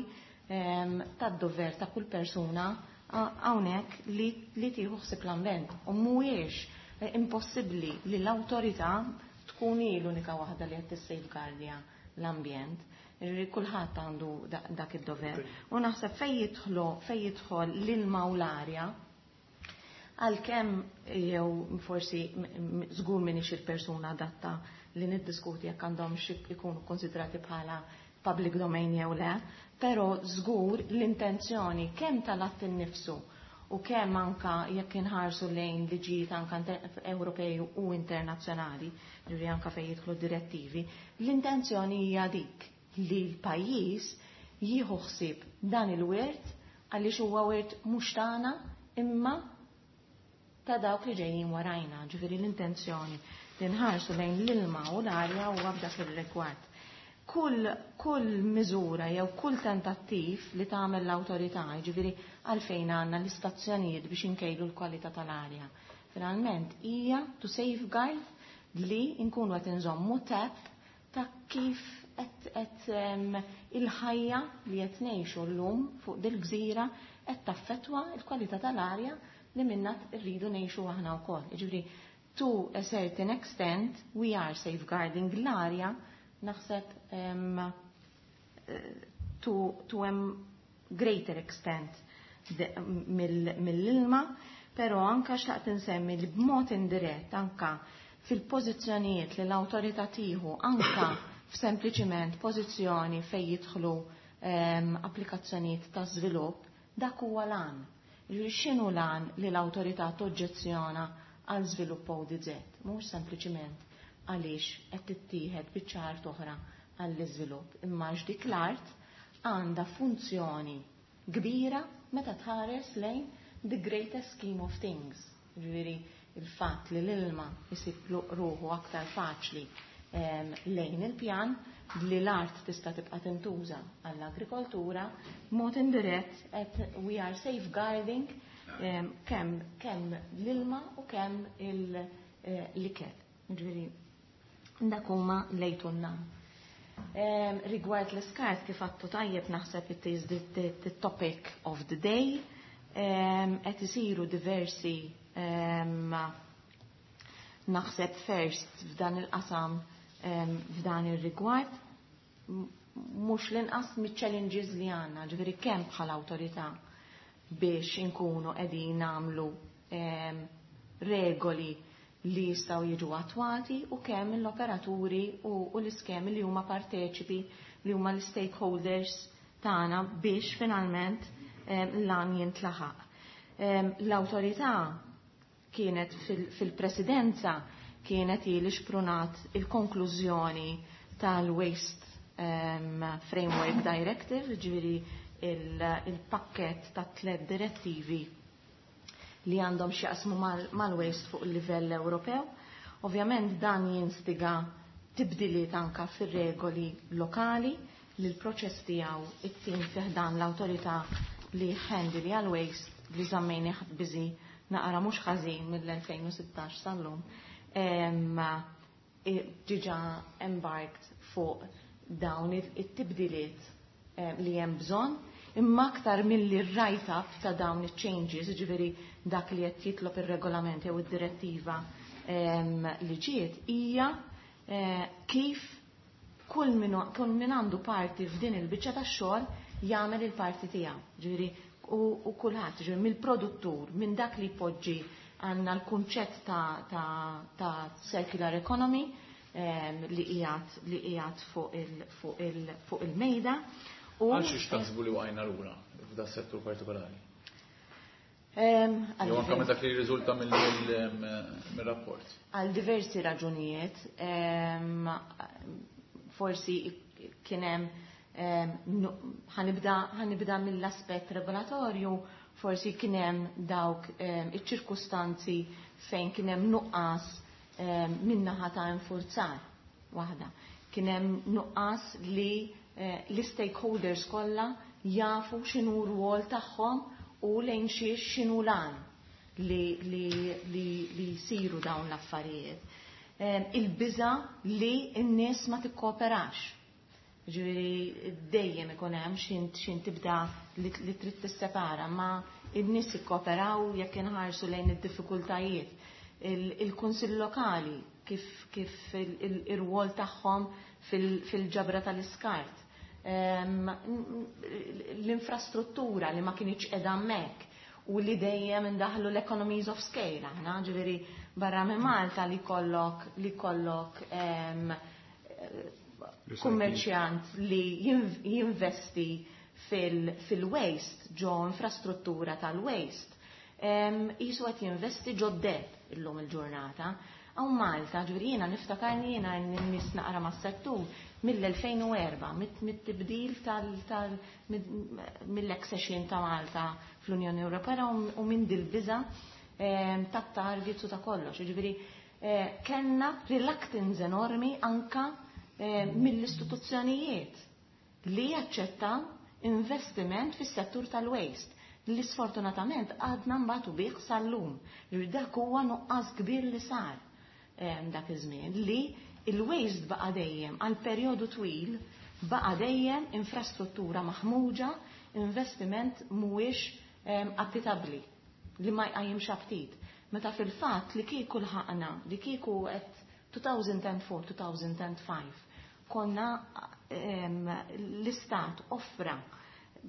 tad-dover ta' kull persuna hawnhekk li li tieħu ħsieb l-ambjent. U mhuwiex impossibbli li l-awtorità tkun hi l-unika waħda li qed tissafeguardja l-ambjent. Ġifieri kulħadd għandu dak id-dover. U naħseb fejn jidħlu fejn jidħol l-ilma u l-arja, għalkemm jew forsi żgur m'iniex il-persuna adatta li niddiskuti jekk għandhomx ikunu konsidrati bħala public domain jew le, però żgur l-intenzjoni kemm tal-att innifsu u kemm anka jekk inħarsu lejn liġijiet anka Ewropej u internazzjonali, ġifieri anka fejn jidħlu direttivi, l-intenzjoni hija dik li l-pajjiż jieħu ħsieb dan il-wirt għaliex huwa wirt mhux tagħna imma ta' dawk li ġejjin warajna, ġifieri l-intenzjoni li nħarsu lejn l-ilma u l-arja huwa f'dak ir-rigward. Kull, kull miżura jew kull tentattiv li tagħmel l-awtorità, ġifieri għalfejn għandna l-istazzjonijiet biex inkejlu l-kwalità tal-arja. Finalment hija to safeguard li nkunu qed inżommu tap ta' kif qed il-ħajja li qed ngħixu llum fuq dil-gżira qed taffettwa l-kwalità tal-arja li minna rridu ngħixu aħna wkoll. Jiġifieri to a certain extent we are safeguarding l-arja naħseb um, to, to a greater extent mill-ilma, però anka xtaqt insemmi li b'mod indirett anka fil-pożizzjonijiet li l-awtorità tieħu anka f'sempliċiment pożizzjoni fejn jidħlu um, applikazzjonijiet ta' żvilupp, dak huwa l-għan. X'inhu l-għan li l-awtorità toġġezzjona għal żvilupp O D Z? Mhux sempliċiment għaliex qed tittieħed biċċa art oħra għall-iżvilupp, imma għax dik l-art għandha funzjoni kbira meta tħares lejn the greatest scheme of things. Ġifieri il-fatt li l-ilma jsib ruħu aktar faċli lejn il-pjan, li l-art tista' tibqa' tintuża għall-agrikoltura, mod indirett qed we are safeguarding kemm kemm l-ilma u kemm l-ikel. Ġifieri Dak huma lejtunna. Rigward l-iskart, kif għattu tajjeb, naħseb it is the, the, the topic of the day. Qed isiru diversi, naħseb, first f'dan il-qasam, f'dan ir-rigward, mhux l-inqas mit-challenges li għandna, ġifieri kemm bħala awtorità biex inkunu qegħdin nagħmlu regoli li jistgħu jiġu attwati u kemm l-operaturi u, u l-iskemi li huma parteċipi, li huma l-stakeholders tagħna, biex finalment l-għan jintlaħaq. L-awtorità kienet fil-presidenza kienet li xprunat il-konklużjoni tal-Waste um, Framework Directive, ġifieri il-pakket ta' tliet direttivi li għandhom x'jaqsmu mal-waste fuq il-livell Ewropew. Ovvjament dan jinstiga tibdiliet anka fir-regoli lokali li l-proċess tiegħu it-tim fi ħdan l-awtorità li handle għal-waste, li żammejni busy naqra mhux ħażin mill-elfejn u sittax sal-lum, diġà embarked fuq dawn it-tibdiliet li hemm bżonn, imma aktar milli write-up ta' dawn it-changes, ġifieri dak li qed jitlob ir-regolament jew id-direttiva li ġiet, hija eh, kif kull min għandu parti f'din il-biċċa tax-xogħol jagħmel il-parti tiegħu. Ġifieri u, u kulħadd, ġifieri mill-produttur, minn dak li jpoġġi, għandna l-kunċett ta', ta, ta circular economy um, li qiegħed li qiegħed fuq il, fuq il, fuq il-mejda. Għal xiex taħsbu li waqajna lura f'da settur partikolari? Jew anke minn dak li jirriżulta mill-rapport. Għal diversi raġunijiet, forsi kien hemm, ħa nibda mill-aspett regolatorju, forsi kien hemm dawk iċ-ċirkustanzi fejn kien hemm nuqqas min-naħa ta' infurzar waħda. Kien hemm nuqqas li eh, l-stakeholders kollha jafu x'inhu r-rwol tagħhom u lejn xiex, x'inhu l-għan li, li, li, li jsiru dawn l-affarijiet. Il-biża li n-nies ma tikkooperax. Ġifieri dejjem ikun hemm xin tibda li, li trid tissepara, ma n-nies ikkooperaw jekk inħarsu lejn id-diffikultajiet. Il-kunsill lokali kif, kif il-rwol tagħhom fil-ġabra tal-iskart. L-infrastruttura li ma kinitx qiegħda hemmhekk u li dejjem indaħlu l-economies of scale, aħna, ġifieri barra minn Malta, li kollok li kollok kummerċjant li jinvesti fil-waste, ġo infrastruttura tal-waste. Jisu qed jinvesti ġo deb illum il-ġurnata. Hawn Malta, ġifieri jiena niftakarni, jiena n-nis naqra mas-settur mill-elfejn u erbgħa, mit-tibdil tal mill-accession ta' Malta fl-Unjoni Ewropea u minn dil-biża ta' targets u ta' kollox. Ġifieri eh, kellna reluctance enormi anka eh, mill-istituzzjonijiet li jaċċettaw investiment fis-settur tal-waste li sfortunatament għadna mbagħad bih sal-lum. Dak huwa nuqqas kbir li sar dak iż-żmien, li il-waste baqa dejjem għal perjodu twil, baqa dejjem infrastruttura maħmuġa, investiment mhuwiex appitabbli, li ma jqajjimx aptit. Meta fil-fatt li kieku lħaqna, li kieku qed elfejn u erbgħa-elfejn u ħamsa konna l-istat offra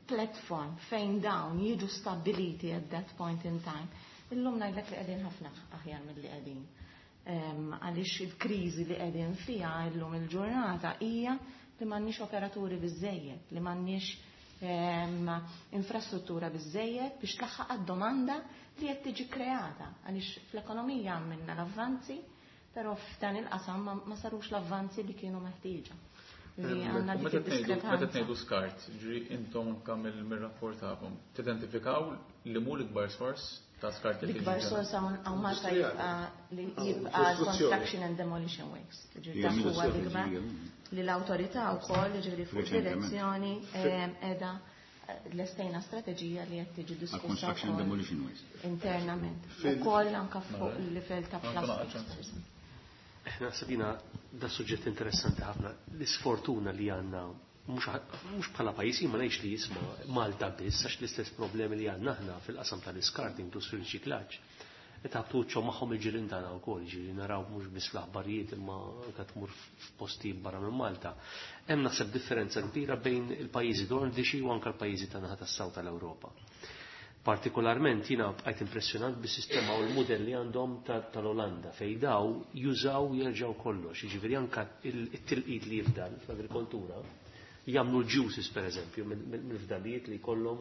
platform fejn dawn jiġu stabiliti at that point in time, illum ngħidlek li qegħdin ħafna aħjar mill-li qegħdin. Għaliex il-kriżi li qegħdin fiha illum il-ġurnata hija li m'għandniex operaturi biżejjed, li m'għandniex infrastruttura biżejjed biex tlaħħaq għad-domanda li qed tiġi kreata. Għaliex fl-ekonomija għamilna l-avvanzi, però f'dan il-qasam ma sarux l-avvanzi li kienu meħtieġa. Meta tgħidu skart, ġri intom anke mill-rapport tagħkom, tidentifikaw li mu l-ikbar sors ta' skart? L-ikbar sors hawn Malta jibqa' li jibqa' construction and demolition waste. Ġifieri dak huwa l-ikbar li l-awtorità wkoll, ġifieri fuq direzzjoni qiegħda, lestejna strateġija li qed tiġi diskussa internament. Ukoll anke fuq il-livell ta' plastics. Naħseb jiena Da suġġett interessanti ħafna. L-isfortuna li għandna mhux bħala pajjiż, ma ngħidx li jisma' Malta biss, għax l-istess problemi li għandna aħna fil-qasam tal-iskart inkluż fil-riċiklaġġ. Qed ħabtu wiċċhom magħhom il-ġirien tagħna wkoll, ġifieri naraw mhux biss fl-aħbarijiet imma anke tmur f'postijiet barra minn Malta. Hemm naħseb differenza kbira bejn il-pajjiżi nordiċi u anke l-pajjiżi tan-naħa tas-South tal-Ewropa. Partikolarment jiena bqajt impressjonat bis-sistema u l-mudell li għandhom tal-Olanda fejn daw jużaw jerġgħu kollox, jiġifieri anke it-tilqit li jifdal fl-agrikoltura jagħmlu l-juices pereżempju mill-fdalijiet li jkollhom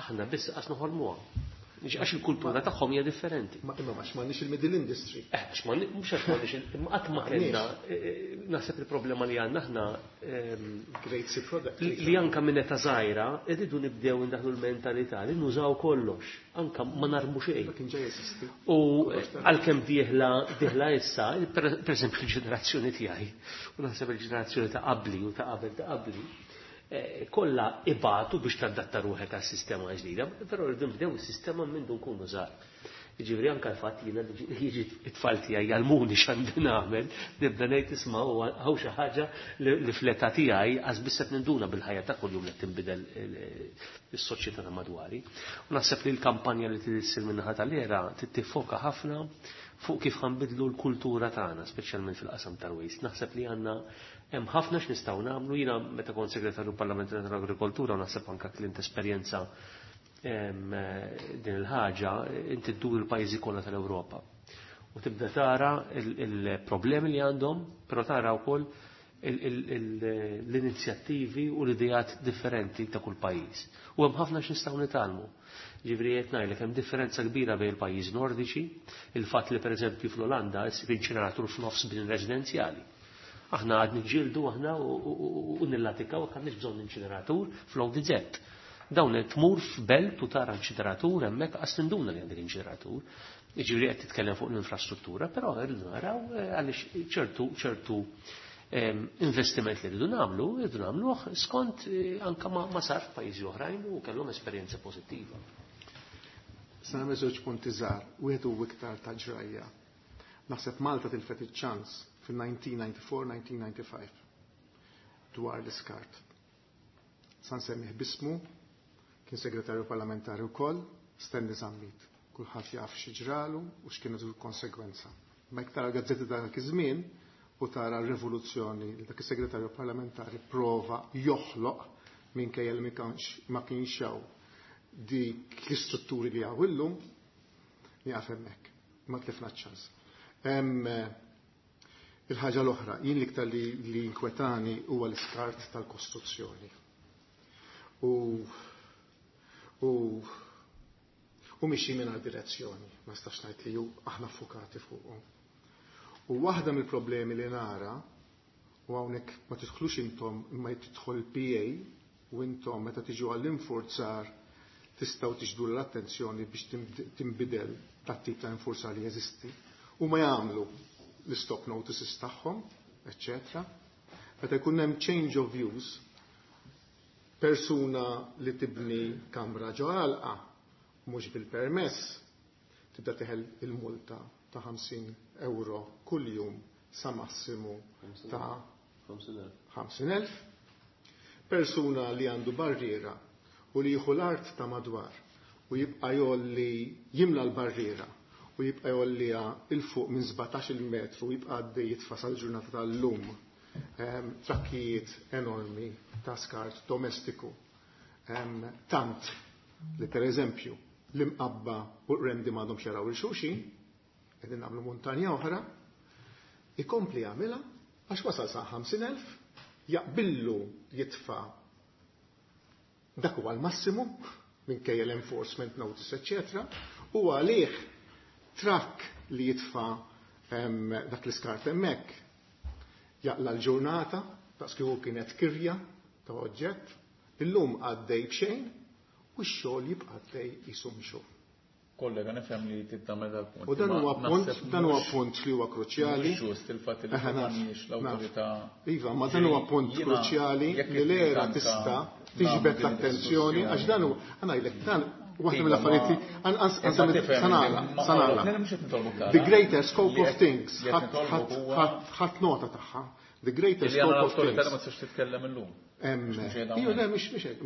aħna biss qas noħolmuha. Għax il-kultura tagħhom hija differenti. Ma imma għax m'għandniex il-middle industry. Eh, għax mhux għax m'għandniex imma qatt ma kellna naħseb il-problema li għandna aħna Great sea product. Li anka minn età żgħira irridu nibdew indaħlu l-mentalità li nużaw kollox, anka ma narmu xejn. Kien ġej jeżisti. U għalkemm dieħla dieħla issa, pereżempju l-ġenerazzjoni tiegħi, u naħseb il-ġenerazzjoni ta' qabli u ta' qabel ta' qabli, kollha ibatu biex tadatta ruħek għas-sistema ġdida, però rridu nibdew is-sistema minn dun nkunu żgħar. Jiġifieri anke l-fatt jiena jiġi t-tfal tiegħi jgħallmuni x'għandi nagħmel, nibda ngħid isma' hawn xi ħaġa li fl-età tiegħi għaż biss qed ninduna bil-ħajja ta' kuljum li tinbidel is-soċjetà ta' madwari. U naħseb li l-kampanja li tissir min-naħa tal-era tiffoka ħafna fuq kif ħanbidlu l-kultura tagħna, speċjalment fil-qasam tal-waste. Naħseb li għandna hemm ħafna x'nistgħu nagħmlu. Jiena meta kont segretarju parlamentari tal-Agrikoltura u naħseb anke klint esperjenza din il-ħaġa, inti ddur il-pajjiżi kollha tal-Ewropa. U tibda tara il-problemi li għandhom, però tara wkoll l-inizjattivi u l-idejat differenti ta' kull pajjiż. U hemm ħafna x'nistgħu nitgħallmu. Ġifieri qed ngħidlek hemm differenza kbira bejn il-pajjiżi nordiċi, il-fatt li pereżempju fl-Olanda issib inċineratur f'nofs bin residenzjali. Aħna għad niġġieldu aħna u nillatikaw jekk għandniex bżonn inċineratur fl-O D Z. Dawn tmur f'belt u tara inċineratur hemmhekk qas tinduna li għandek inċineratur. Jiġifieri qed titkellem fuq l-infrastruttura, però rridu naraw għaliex ċertu ċertu investiment li rridu nagħmlu, rridu nagħmluh skont anka ma sar f'pajjiżi oħrajn u kellhom esperjenza pożittiva. Se nagħmel żewġ punti żgħar, wieħed huwa iktar ta' ġrajja. Naħseb Malta tilfet iċ-ċans fil-elf disa' mija disgħa u disgħin-elf disa' mija disgħa u disgħin dwar l-iskart. Sa nsemmih bismu, kien segretarju parlamentari wkoll, Stanley Zammit. Kulħadd jaf xi ġralu u x'kienet il-konsegwenza. Ma jekk tara gazzetti dak iż-żmien u tara r-rivoluzzjoni li dak is-segretarju parlamentari prova joħloq minkejja li ma kienx hawn dik l-istrutturi li hawn illum, nieqaf hemmhekk. Ma tlifna ċ-ċans. Il-ħaġa l-oħra, jien l-iktar li, li inkwetani huwa l-iskart tal-kostruzzjoni. U u u mixi minn direzzjoni, ma stax ngħid li ju aħna fukati fuqhom. U waħda mill-problemi li nara, u hawnhekk ma tidħlux intom imma tidħol il-P A u intom meta tiġu għall-infurzar tistgħu tiġdu l-attenzjoni biex tinbidel tat-tip ta' infurzar li jeżisti u ma jagħmlu l-stop notices tagħhom, eċċetera. Meta jkun hemm change of views, persuna li tibni kamra ġo għalqa mhux bil-permess tibda teħel il-multa ta' ħamsin euro kull jum sa massimu ta' ħamsin elf. Persuna li għandu barriera u li jieħu l-art ta' madwar u jibqa' jolli jimla l-barriera u jibqa' jolliha 'il fuq minn sbatax-il metru u jibqa' għaddej jitfa' sal-ġurnata tal-lum trakkijiet enormi ta' skart domestiku. Tant li per eżempju l-Imqabba u Qrendi m'għadhomx jaraw 'il xulxin, qegħdin nagħmlu muntanja oħra, ikompli jagħmilha għax wasal sa' ħamsin elf, jaqbillu jitfa' dak huwa l-massimu minkejja l-enforcement notice, eccetera, u għalih trakk li jitfa' dak l-iskart hemmhekk jaqla l-ġurnata, ta' kieku kienet kirja ta' oġġett, illum għaddej b'xejn u x-xogħol jibqa' għaddej jisum xogħol. Kollega, nifhem li tagħmel dal-punt. U dan huwa punt, dan huwa punt li huwa kruċjali. Ġust il-fatt li m'għandniex l-awtorità. Iva, ma dan huwa punt kruċjali li l-ERA tista' tiġbed l-attenzjoni għax dan huwa ngħidlek dan Waħda mill-affarijiet sanala, sanala. The greater scope of things, ħadd nota tagħha. The greater scope of things. Ma tistax titkellem illum. Iju, le, mhux mhux hekk,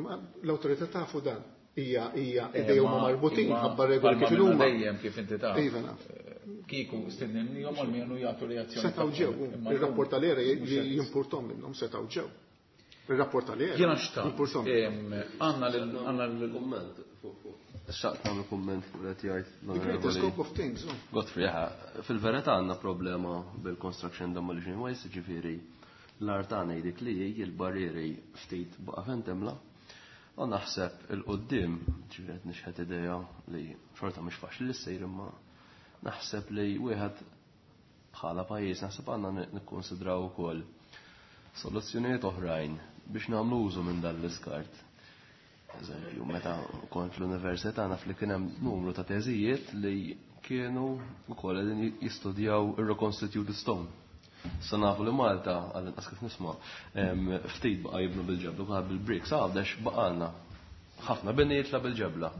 l-awtorità tafu dan. Hija hija idej huma marbutin ħabba regoli kif huma. Dejjem kif inti taf. Iva naf. Kieku stednihom almenu jagħtu reazzjoni. Setgħu ġew, ir-rapport tal-era jimpurtom minnhom setgħu ġew. Il-rapport tal-era. Jiena xtaqt. Għandna għandna l-kumment fuq. Xtaqt nagħmel kumment fuq qed jgħid. The greater scope of things. Godfrey, fil-verità għandna problema bil-construction demolition waste, ġifieri l-art għandna dik li l-barrieri ftit baqa' fejn temla. U naħseb il-qoddim, ġifieri qed nixħet idea li xorta mhux faċli li ssir imma naħseb li wieħed bħala pajjiż naħseb għandna nikkonsidraw ukoll soluzzjonijiet oħrajn biex nagħmlu użu minn dan l-iskart. Eżempju, meta kont l-università naf li kien hemm numru ta' teżijiet li kienu wkoll qegħdin jistudjaw ir-reconstituted stone. Sa nafu li Malta, għall-inqas kif nisma', ftit baqa' jibnu bil-ġebla, baqa' bil-bricks, għawdex baqalna ħafna bini jitla' bil-ġebla.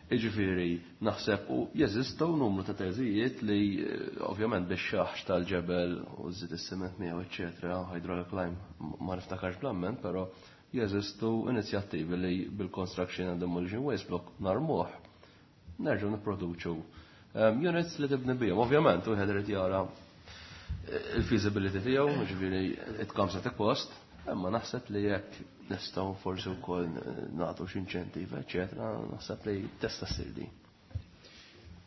Jiġifieri naħseb u jeżistu numru ta' teżijiet li ovvjament biex xaħx tal-ġebel u żid is-siment miegħu eċetera, hydraulic lime ma niftakarx bl-amment, però jeżistu inizjattivi li bil-construction and demolition waste block narmuh nerġgħu nipproduċu units li tibni bihom. Ovvjament wieħed irid jara il-feasibility tiegħu, jiġifieri it comes at a cost, imma naħseb li jekk nistgħu forsi wkoll nagħtu xi inċentiv, eċetera, naħseb li tista' ssir din.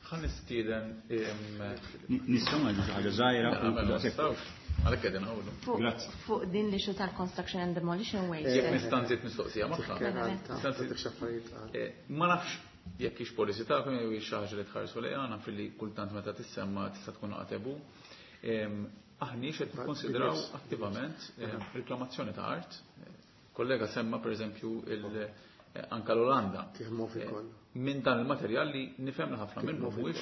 Ħa nistieden nistgħu ngħidu xi ħaġa żgħira. Għalhekk qegħdin ngħidu. Fuq din li xu tal-construction and demolition waste. Jekk nista' nżid mistoqsija magħha. Ma nafx jekk hix policy tagħkom jew hix xi ħaġa li tħarsu lejha, naf li kultant meta tissemma tista' tkun qatebu. Aħniex qed nikkonsidraw attivament reklamazzjoni ta' art. Kollega semma per eżempju anka l-Olanda. Minn dan il-materjal li nifhem li ħafna minnu mhuwiex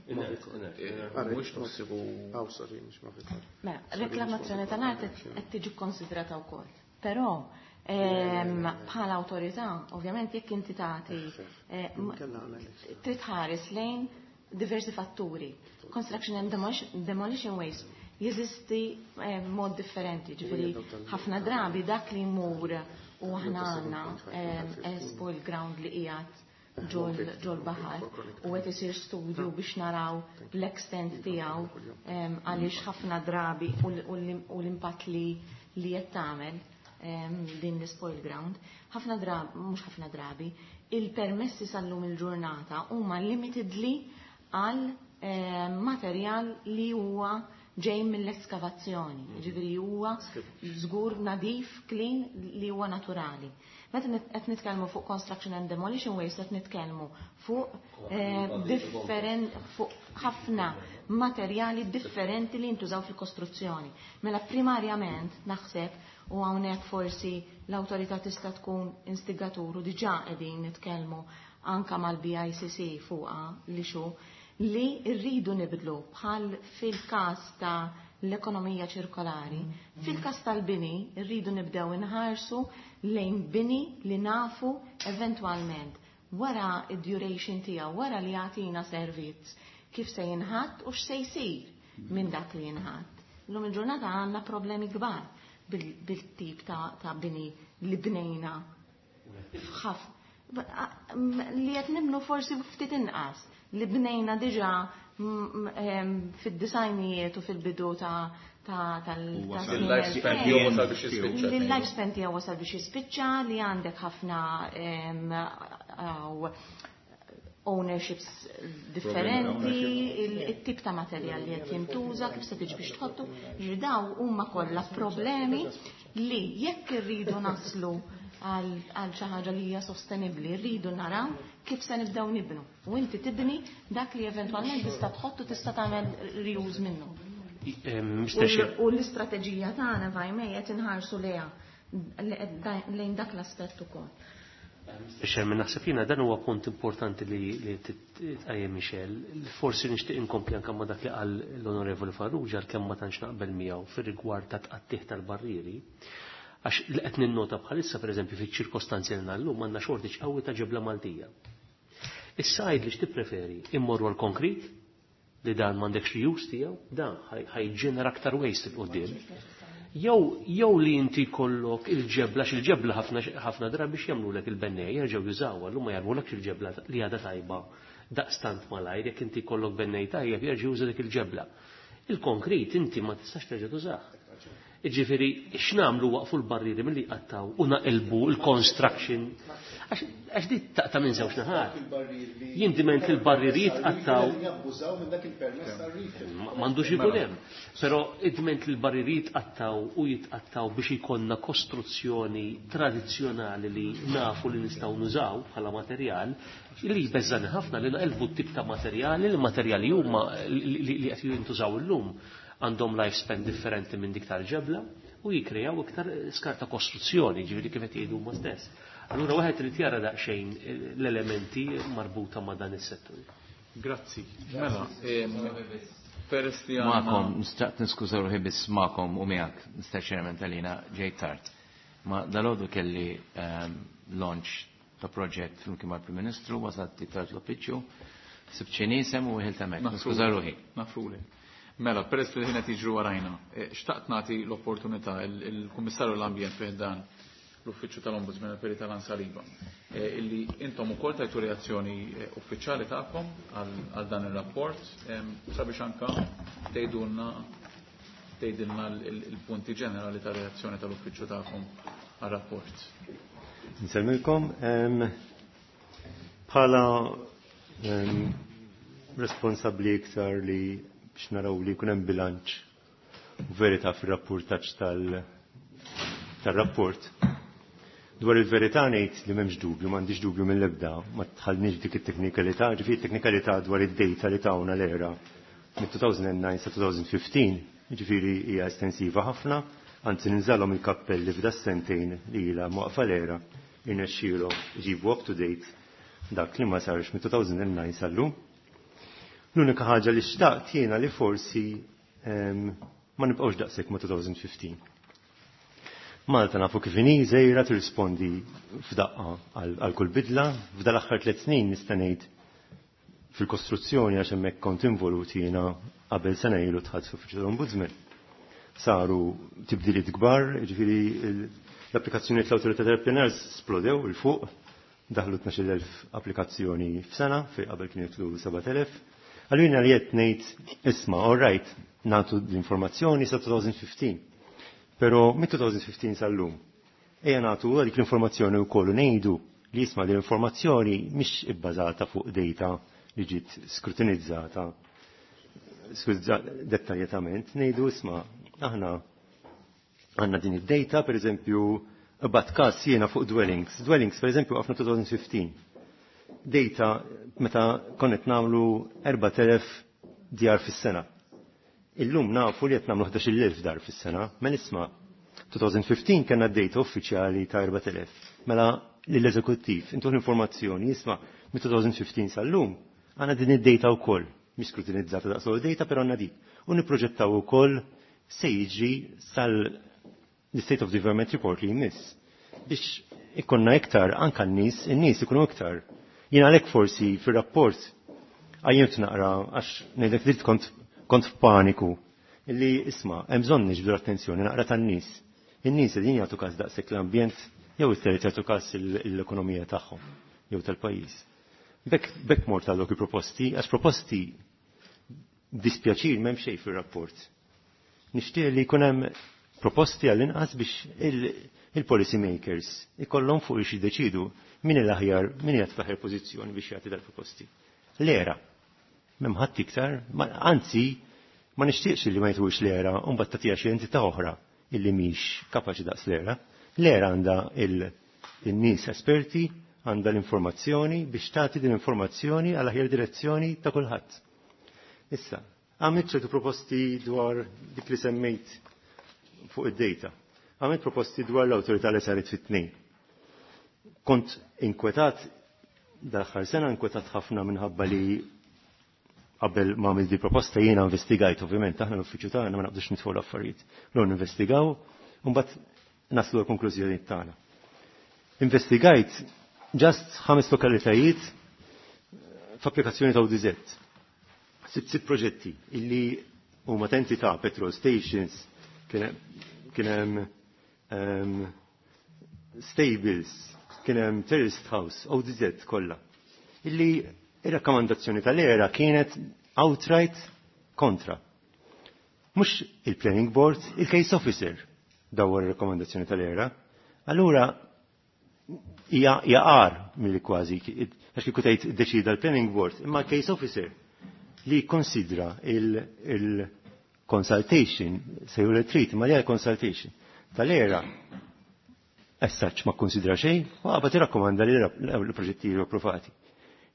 mhuwiex tossiku. Mela, reklamazzjoni tal-art qed tiġi kkonsidrata wkoll. Però bħala awtorità, ovvjament jekk inti tagħti trid tħares lejn diversi fatturi. Construction and demolition waste jeżisti mod differenti, ġifieri ħafna drabi dak li jmur u aħna għandna spoil ground li qiegħed ġol baħar u qed isir studju biex naraw l-extent tiegħu għaliex ħafna drabi u l-impatt li li qed tagħmel din l-spoil ground. Ħafna drabi, mhux ħafna drabi, il-permessi sal-lum il-ġurnata huma limitedly għal materjal li huwa ġej mill-eskavazzjoni, ġifieri huwa żgur nadif, clean, li huwa naturali. Meta qed nitkellmu fuq construction and demolition waste qed nitkellmu fuq different fuq ħafna materjali differenti li jintużaw fil-kostruzzjoni. Mela primarjament naħseb u hawnhekk forsi l-awtorità tista' tkun instigatur u diġà qegħdin nitkellmu anka mal-B I C C fuqha li xu li rridu nibdlu bħal fil-każ ta' l-ekonomija ċirkolari. Fil-każ tal-bini rridu nibdew inħarsu lejn bini li nafu eventwalment wara id-duration tiegħu, wara li jagħtina servizz, kif se jinħatt u x'se jsir minn dak li jinħatt. Illum il-ġurnata għandna problemi kbar bil-tip ta' bini li bnejna f'ħaf li qed nibnu forsi ftit inqas li bnejna diġà fid-disajnijiet u fil-bidu ta' tal-lifespan tiegħu wasal biex jispiċċa. L-lifespan tiegħu wasal biex jispiċċa li għandek ħafna ownerships differenti, il-tip ta' materjal li qed jintuża, kif se tiġi biex tħottu, ġifieri daw huma kollha problemi li jekk irridu naslu għal xi ħaġa li hija sostenibbli, rridu naraw kif se nibdew nibnu. U inti tibni dak li eventwalment tista' tħottu tista' tagħmel reuse minnu. U l-istrateġija tagħna vajmej qed inħarsu lejha lejn dak l-aspett ukoll. Xermin, naħseb jiena dan huwa punt importanti li tqajjem Michel. Forsi nixtieq inkompli anke ma' dak li qal l-Onorevoli Farrugia għalkemm ma tantx naqbel miegħu fir-rigward ta' tqattih tal-barrieri. Għax li qed ninnota bħalissa pereżempju fiċ-ċirkostanzi li llum għandna shortage qawwi ta' ġebla Maltija. Issa għid li x'tippreferi, immorru għal konkrit li dan m'għandekx reuse tiegħu, dan ħa jġenera aktar waste 'il quddiem. Jew jew li inti jkollok il-ġebla, x'il-ġebla ħafna ħafna drabi biex jagħmlulek il-bennej jerġgħu jużawha, llum ma jarmulekx il-ġebla li għadha tajba daqstant malajr, jekk inti jkollok bennej tajjeb jerġa' juża dik il-ġebla. Il-konkrit inti ma tistax terġa' tużah. Ġifieri, x'nagħmlu, waqfu l-barriri milli jqattaw u naqilbu l-construction. Għax di taqta' minn żewġ naħat. Jien diment il-barriri jitqattaw. M'għandux ikun hemm. Però id-dment il-barriri jitqattaw u jitqattaw biex ikollna kostruzzjoni tradizzjonali li nafu li nistgħu nużaw bħala materjal, li jbeżżani ħafna li naqilbu t-tip ta' materjali, li materjali huma li qed jintużaw illum għandhom lifespan differenti minn dik tal-ġebla u jikrejaw iktar skart ta' kostruzzjoni, ġifieri kif qed jgħidu huma stess. Allura wieħed irid jara daqsxejn l-elementi marbuta ma' dan is-settur. Grazzi. Mela, peress li Magħkom, nistaqt niskuża ruħi biss magħkom u miegħek, Mister Chairman, talina ġejt tard. Ma dalgħodu kelli launch ta' proġett flimkien mal-Prim Ministru, wasalt tard l-uffiċċju, sibt xi nisem u ħilt hemmhekk. Niskuża ruħi. Nafruli. Mela, peress li ħina tiġru warajna, xtaqt nagħti l-opportunità il-Kummissarju l-Ambjent fih dan l-Uffiċċju tal-Ombudsman il-Perit Alan Saliba, illi intom ukoll tajtu reazzjoni uffiċjali tagħkom għal dan ir-rapport sabiex anka tgħidulna tgħidilna il-punti ġenerali ta' reazzjoni tal-uffiċċju tagħkom għar-rapport. Nsellmilkom, bħala responsabbli iktar li biex naraw li jkun hemm bilanċ u verità fir-rapportaġġ tal-rapport. Dwar il-verità ngħid li m'hemmx dubju, m'għandix dubju mill-ebda, ma tħallniex dik it-teknikalità, ġifieri teknikalità dwar id-data li tawna l-ERA mit-elfejn u disa sa elfejn u ħmistax, ġifieri hija estensiva ħafna, anzi ninżalhom il-kappelli f'da sentejn li ilha mwaqfa l-ERA irnexxielhom iġibu up to date dak li ma sarx mit-elfejn u disa sal-lum. L-unika ħaġa li xtaqt jiena li forsi ma nibqgħux daqshekk ma' elfejn u ħmistax. Malta nafu kif inhi, żgħira, tirrispondi f'daqqa għal kull bidla. F'dal aħħar tliet snin nista' ngħid fil-kostruzzjoni, għax hemmhekk kont involuti jiena qabel sena ilu dħalt fl-Uffiċċju tal-Ombudsman. Saru tibdiliet kbar, ġifieri l-applikazzjoni tal-Awtorità tal-Pjanar splodew 'il fuq, daħlu tnax-il elf applikazzjoni f'sena, fej qabel kienu jidħlu sebat elef. Allura li qed ngħid, isma', all right, nagħtu l-informazzjoni sa elfejn u ħmistax. Però mit-elfejn u ħmistax sal-lum, ejja nagħtu dik l-informazzjoni wkoll u ngħidu li isma', l-informazzjoni mhix ibbażata fuq data li ġiet skrutinizzata dettaljatament, ngħidu isma', aħna għandna din id-data, per eżempju, bat kas jiena fuq dwellings. Dwellings, per eżempju, għafna elfejn u ħmistax. Data meta konnet nagħmlu erbat elef djar fis-sena. Illum nafu li qed nagħmlu ħdax-il elf dar fis-sena, mela isma', elfejn u ħmistax kellna data uffiċjali ta' erbat elef. Mela lill-eżekuttiv, intu l-informazzjoni, isma', mit-elfejn u ħmistax sal-lum għandna din id-data wkoll, mhix skrutinizzata daqs data, però għandna dik. U nipproġettaw ukoll se jiġri sal l-State of Development Report li jmiss biex ikonna iktar, anka n-nies, n-nies ikunu iktar. Jien għalhekk forsi fir-rapport għajjimt naqra, għax ngħidlek li kont kont f'paniku illi isma', hemm bżonn niġbdu l-attenzjoni naqra tan-nies. In-nies qegħdin jagħtu każ daqshekk l-ambjent jew iktar jagħtu każ l-ekonomija tagħhom jew tal-pajjiż. Bekk bekk mort għal dawk il-proposti, għax proposti dispjaċir m'hemm xejn fir-rapport. Nixtieq li jkun hemm proposti għall-inqas biex il-policy makers ikollhom fuq xi jiddeċidu min l-aħjar, min qiegħed fl-aħjar pożizzjoni biex jagħti dal-proposti. L-ERA. M'hemm ħadd iktar, anzi ma nixtieqx li ma jtux l-ERA u mbagħad tagħtiha xi entità oħra illi mhix kapaċi daqs l-ERA. L-ERA għandha il-nies esperti, għandha l-informazzjoni biex tagħti din l-informazzjoni għal aħjar direzzjoni ta' kulħadd. Issa, għamilt ċertu proposti dwar dik li semmejt fuq id-data. Għamilt proposti dwar l-awtorità li saret fit-tnejn. Kont inkwetat, dal-aħħar sena inkwetat ħafna minħabba li qabel ma għamilt di proposta jiena investigajt, ovvjament, aħna l-uffiċċju tagħna ma naqdux nitfgħu l-affarijiet. L investigaw, u mbagħad naslu l-konklużjoni tagħna. Investigajt just ħames lokalitajiet f'applikazzjoni ta' O D Z sibt sitt proġetti illi huma ta' entità, petrol stations, kien hemm ehm, stables, kien hemm terrorist house, O D Z kollha. Illi ir-rakkomandazzjoni tal-ERA kienet outright kontra. Mhux il-planning board, il-case officer dawwar ir-rakkomandazzjoni tal-ERA. Allura hija għar milli kważi, għax kieku tgħid iddeċida l-planning board, imma l-case officer li konsidra il-consultation, se ju l-treat, ma li consultation tal-ERA, as such ma konsidra xejn, u għabad irrakkomanda li l-proġetti jiġu approvati.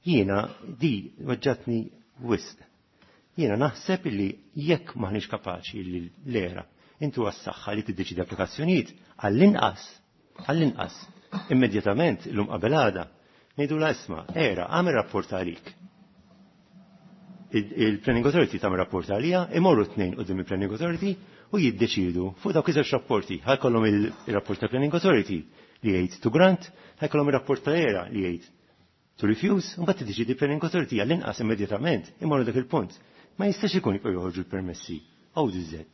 Jiena di weġġatni wisq. Jiena naħseb li jekk maħniex kapaċi li l-ERA intu għas-saħħa li tiddeċidi applikazzjonijiet għall-inqas, għall-inqas, immedjatament illum qabel għada, ngħidu la isma', ERA għamel rapport għalik. Il-Planning Authority tagħmel rapport għalija, imorru tnejn quddiem il-Planning Authority u jiddeċidu fuq dawk iż-żewġ rapporti. Ħajkollhom il-rapport ta' Planning Authority li jgħid to grant, ħajkollhom ir-rapport ta' ERA li jgħid to refuse, u mbagħad tiddeċidi Planning Authority għall-inqas immedjatament imorru dak il-punt. Ma jistax ikun jibqgħu joħorġu l-permessi O D Z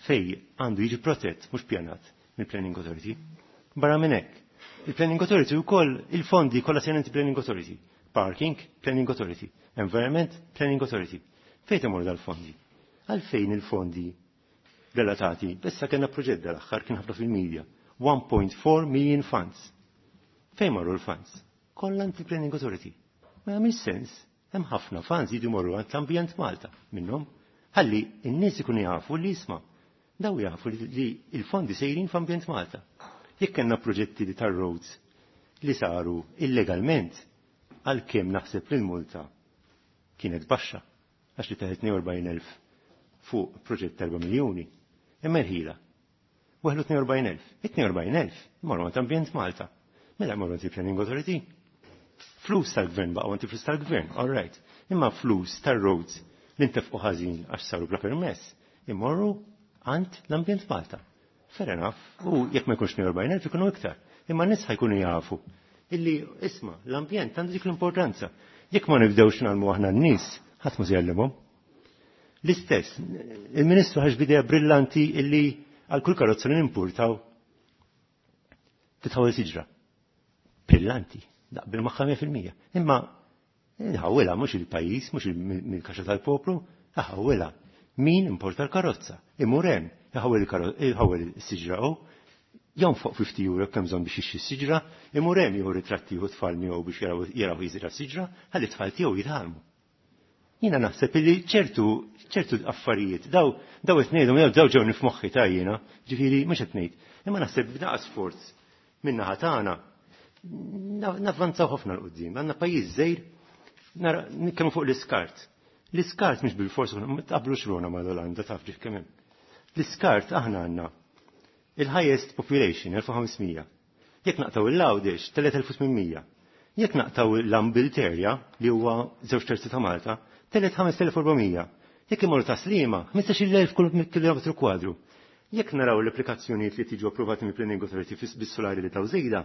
fej għandu jiġi protett mhux pjanat mill-Planning Authority. Barra minn hekk, il-Planning Authority wkoll il-fondi kollha se jingħati Planning Authority. Parking, Planning Authority. Environment, Planning Authority. Fejn imorru dal-fondi? Għalfejn il-fondi relatati? Issa kellna proġett dal-aħħar kien ħafna fil-media. one point four million funds. Fejn marru l-funds? Kollha għand il-Planning Authority. Ma jagħmilx sens. Hemm ħafna funds jiġu morru għand l-Ambjent Malta minnhom. Ħalli n-nies ikunu jafu li jisma'. Daw jafu li l-fondi sejrin f'Ambjent Malta. Jekk kellna proġetti li tar-roads li saru illegalment, għalkemm naħseb li l-multa kienet baxxa, għax li taħet tnejn u erbgħin elf fuq proġett ta' erba' miljuni, imma l-ħila. Weħlu tnejn u erbgħin elf. It-tnejn u erbgħin elf marru għand Ambjent Malta. Mela marru għand il-Planning Authority. Flus tal-gvern baqgħu għand il-flus tal-gvern, all right. Imma flus tar-roads li ntefqu ħażin għax saru bla permess, imorru għand l-Ambjent Malta. Fair enough, u jekk ma jkunx tnejn u erbgħin elf ikunu iktar. Imma n-nies ħajkunu jafu illi isma' l-ambjent għandu dik l-importanza. Jekk ma nibdewx nagħmlu aħna n-nies, ħadd ma se jgħallimhom. L-istess, il-Ministru ħax bidea brillanti illi għal kull karozza li nimpurtaw titħawel siġra. Brillanti, naqbel magħha mija fil-mija. Imma nħawilha mhux il-pajjiż, mhux mill-kaxxa tal-poplu, ħawilha. Min importa l-karozza? Imur hemm, iħawel il-karo-, is-siġra u jonfoq fifty euro kemm bżonn biex jixxi s-siġra, imur hemm jieħu ritratti u tfal miegħu biex jaraw, jaraw jiżra s-siġra, ħalli t-tfal tiegħu jitgħallmu. Jiena naħseb illi ċertu, ċertu affarijiet, daw, daw qed ngħidhom, daw, daw ġew nifmoħħi ta' jiena, ġifieri mhux qed ngħid. Imma naħseb b'daqs sforz min-naħa tagħna navvanzaw ħafna l quddiem. Għandna pajjiż żgħir, nara nitkellmu fuq l-iskart. L-iskart mhux bil-fors, ma tqablux ruħna mal-Olanda, taf ġif kemm hemm. L-iskart aħna għandna il-highest population, elf u ħamsmija. Jekk naqtaw il-Għawdex, tliet elf u tmien mija. Jekk naqtaw l-Ambilterja, li huwa żewġ terzi ta' Malta, tliet ħames elf u erbgħamija. Jekk imorru ta' Sliema, ħmistax-il elf kull kilometru kwadru. Jekk naraw l-applikazzjonijiet li tiġu approvati mill-Planning Authority bis-solari li taw żejda,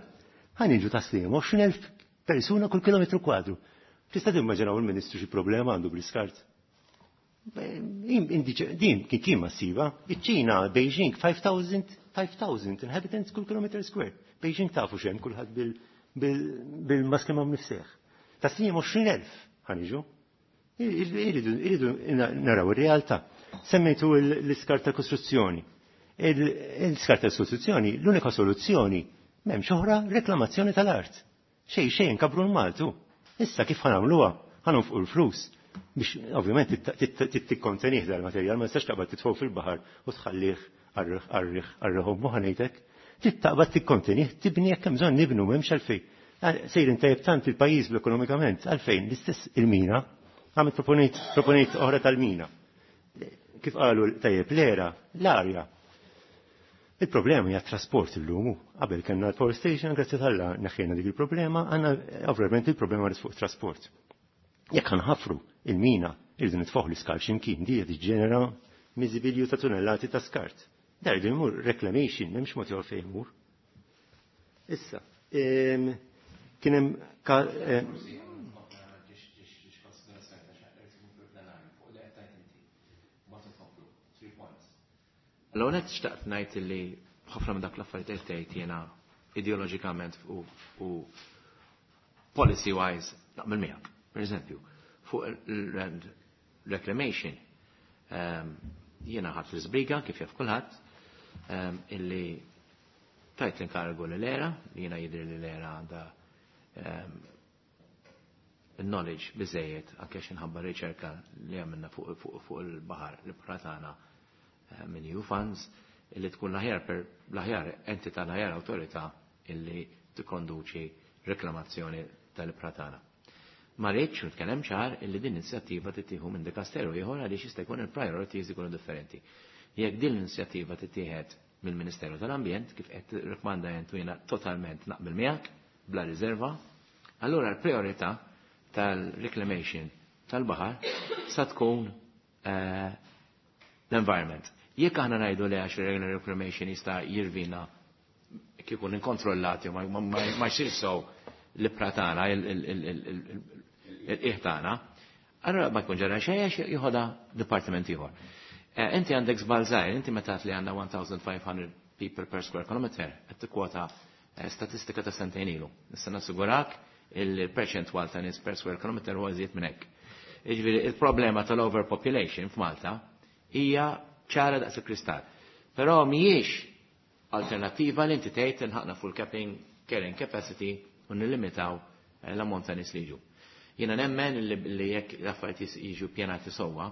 ħa niġu ta' Sliema għoxrin elf persuna kull kilometru kwadru. Tista' timmaġinaw il-Ministru xi problema għandu bl-iskart? Din kien kien massiva. Iċ-Ċina, Beijing, five thousand, five thousand inhabitants kull kilometer square. Beijing tafu xem kulħadd bil-, bil-, bil-maski ma' mnifseħ. Ta' Sliema għoxrin elf ħaniġu. Iridu, iridu naraw ir-realtà. Semmejtu l-iskart tal-kostruzzjoni. L-iskart tal-kostruzzjoni, l-unika soluzzjoni m'hemmx oħra reklamazzjoni tal-art. Xejn, xejn kabru l-Maltu. Issa kif ħanamluha? Ħanonfqu l-flus. Biex ovvjament tikkontenih dal-materjal, ma tistax taqbad titfgħu fil-baħar u tħallih arriħ, arriħ, arriħ u ħanejtek. Taqbad tikkontenih, tibni jekk hemm bżonn nibnu m'hemmx għalfejn. Sejrin tajjeb tant il-pajjiż ekonomikament, għalfejn l-istess il-mina, għamil proponejt, proponejt oħra tal-mina. Kif qalu tajjeb l-era, l-arja. Il-problema hija trasport illum. Qabel kellna l-power station, grazzi tal-Alla neħħejna dik il-problema, għandna ovvjament il-problema ris fuq trasport. Jekk ħanħafru il-mina, irridu nitfoħ l-iskart x'imkien, di qed tiġġenera miżibilju ta' tunnellati ta' skart. Dar irridu jmur reclamation, m'hemmx mod ieħor fejn imur. Issa, em, kien hemm ka-, em, L-għonet xtaqt ngħid li ħafna minn dak l-affarijiet qed tgħid jiena ideoloġikament u, u policy wise naqbel miegħek. Per eżempju, fuq il-land reclamation, um, jiena ħadt l-iżbriga kif jaf kulħadd, um, illi tajt l-inkarigu l-ERA, li jiena jidri li l-ERA għandha um, knowledge biżejjed anke x'inħabba riċerka li għamilna fuq fuq fuq il-baħar li tagħna eh, minn E U Funds, illi tkun l-aħjar per l-aħjar entità, l-aħjar awtorità illi tikkonduċi reklamazzjoni tal-pratana. Ma rridx nitkellem ċar illi din l-inizjattiva tittieħu minn dikasteru ieħor għaliex jista' jkun il-priorities ikunu differenti. Jekk din l-inizjattiva tittieħed mill-Ministeru tal-Ambjent, kif qed tirrikmanda jent u jiena totalment naqbel miegħek bla riserva, allura l-priorità tal-reclamation tal-baħar sa tkun eh, l-environment. Jekk aħna ngħidu li għax regular reclamation jista' jirvina kieku inkontrollati u ma, ma, ma, ma jsir sew l-pratana, il-qiegħ tagħna, allura ma jkun ġara xejn għax jieħodha dipartiment ieħor. Eh, inti għandek żball żgħir, inti meta li għandna one thousand five hundred people per square kilometer, qed tikkwota, eh, statistika ta' sentejn ilu. Nista' nassigurak il-perċentwal ta' nies per square kilometer huwa iżjed minn hekk. Jiġifieri il-problema tal-overpopulation f'Malta hija ċara daqs il-kristall. Però mhijiex alternattiva li inti tgħid inħaqna full capping carrying capacity u nillimitaw, eh, l-ammont ta' nies li jiġu. Jiena nemmen li, li jekk l-affarijiet jis-, jiġu pjanati sewwa,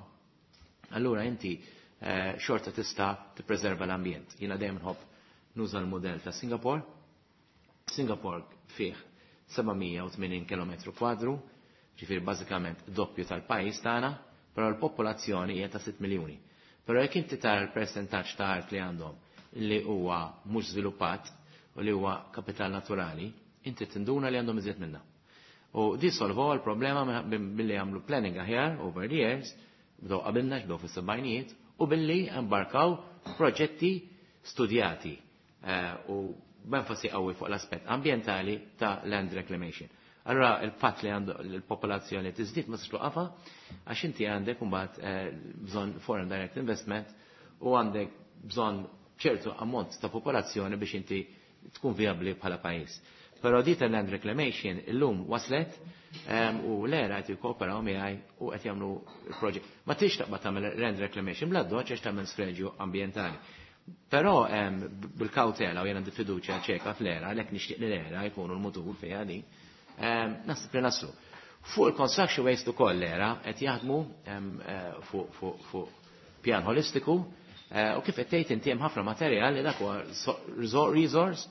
allura inti, eh, xorta tista' tippreserva l-ambjent. Jiena dejjem nħobb nuża l-mudell ta' Singapore. Singapore fih seba' mija u tmenin kilometru kwadru, ġifieri bażikament doppju tal-pajjiż tagħna, però l-popolazzjoni hija ta' sitt miljuni. Però jekk inti tara l-persentaġġ ta' art li għandhom li huwa mhux żviluppat u li huwa kapital naturali, inti tinduna li għandhom iżjed minna. U di solvaw l-problema billi għamlu planning aħjar over the years, bdew qabilna x'bdew fis-sebgħinijiet, u billi embarkaw proġetti studjati, eh, u b'enfasi qawwi fuq l-aspett ambjentali ta' land reclamation. Allora il-fatt li għandu l-popolazzjoni tiżdied ma tistax twaqqafha għax inti għandek imbagħad, eh, bżonn foreign direct investment u għandek bżonn ċertu ammont ta' popolazzjoni biex inti tkun viabli bħala pajjiż. Però di tal-land reclamation illum waslet, ehm, u l-ERA qed jikkooperaw miegħi u qed jagħmlu l-proġett. Ma tix taqbad tagħmel land reclamation bla doċ għax tagħmel sfreġju ambjentali. Però, ehm, bil-kawtela u jiena għandi fiduċja ċeka fl-ERA, għalhekk nixtieq li l-ERA jkunu l-mutur fiha din, ehm, naħseb li naslu. Fuq il-construction waste ukoll l-ERA qed jaħdmu, ehm, eh, fuq, fuq, fuq pjan holistiku, eh, u kif qed tgħid inti hemm ħafna materjal li dak huwa so-, reso-, resource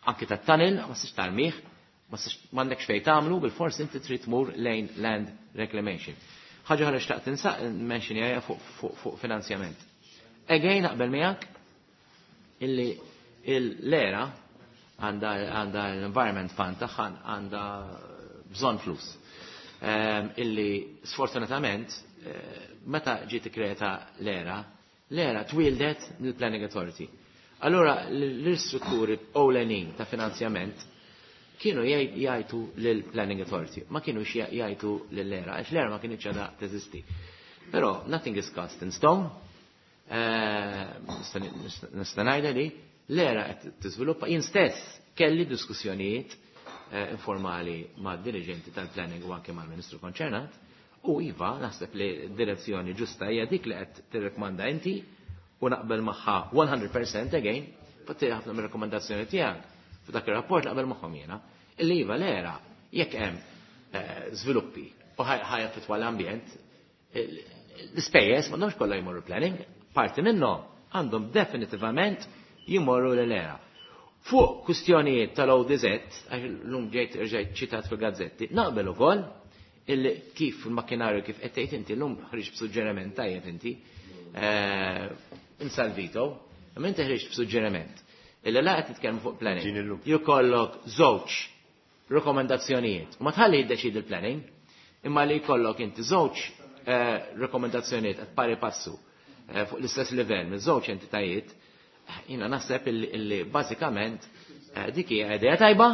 anki tat-tunnel, ma tistax tarmih, ma tistax, m'għandekx fejn tagħmlu, bil-fors inti trid tmur lejn land reclamation. Ħaġa oħra xtaqt tinsaq mention hija fuq, fuq, fuq finanzjament. Again naqbel miegħek illi l-ERA għandha, għandha l-Environment Fund tagħha għandha bżonn flus. Ehm, illi sfortunatament, eh, meta ġiet ikkreata l-ERA, l-ERA twildet mill-Planning Authority. Allora l-istrutturi ewlenin ta' finanzjament kienu jgħid-, jgħidu lill-Planning Authority, ma kienux jgħ-, jgħidu lill-ERA, għax l-ERA ma kienx għadha teżisti. Però nothing is cast in stone. Eh, nista' ngħidha li l-ERA qed tiżviluppa. Jien stess kelli diskussjonijiet, eh, informali mad dirigenti tal-planning u anke mal-Ministru konċernat, u iva naħseb li direzzjoni ġusta hija dik li qed tirrekmanda inti u naqbel magħha one hundred percent again, fatti ħafna mir-rakkomandazzjoni tiegħek f'dak ir-rapport naqbel magħhom jiena, illi iva l-ERA jekk hemm, eh, żviluppi u ħaj-, ħajaffettwa l-ambjent, il-, l-ispejjeż m'għandhomx kollha jmorru planning, parti minnhom għandhom definitivament jimorru l-ERA. Fuq kwistjonijiet tal-O D Z, għax l-lum ġejt rġajt ċitat fil-gazzetti, naqbel ukoll illi kif il-makkinarju kif qed tgħid inti llum ħriġ b'suġġeriment tajjeb inti, eh, insalvito, imma inti ħriġ b'suġġeriment. Illi la qed titkellmu fuq planning. Ġin illum. Jkollok żewġ rekomendazzjonijiet. Ma tħalli jiddeċidi l-planning, imma li jkollok inti żewġ, eh, rekomendazzjonijiet qed pari passu, eh, fuq l-istess livell minn żewġ entitajiet, jiena naħseb illi, illi bażikament, eh, dik hija idea tajba,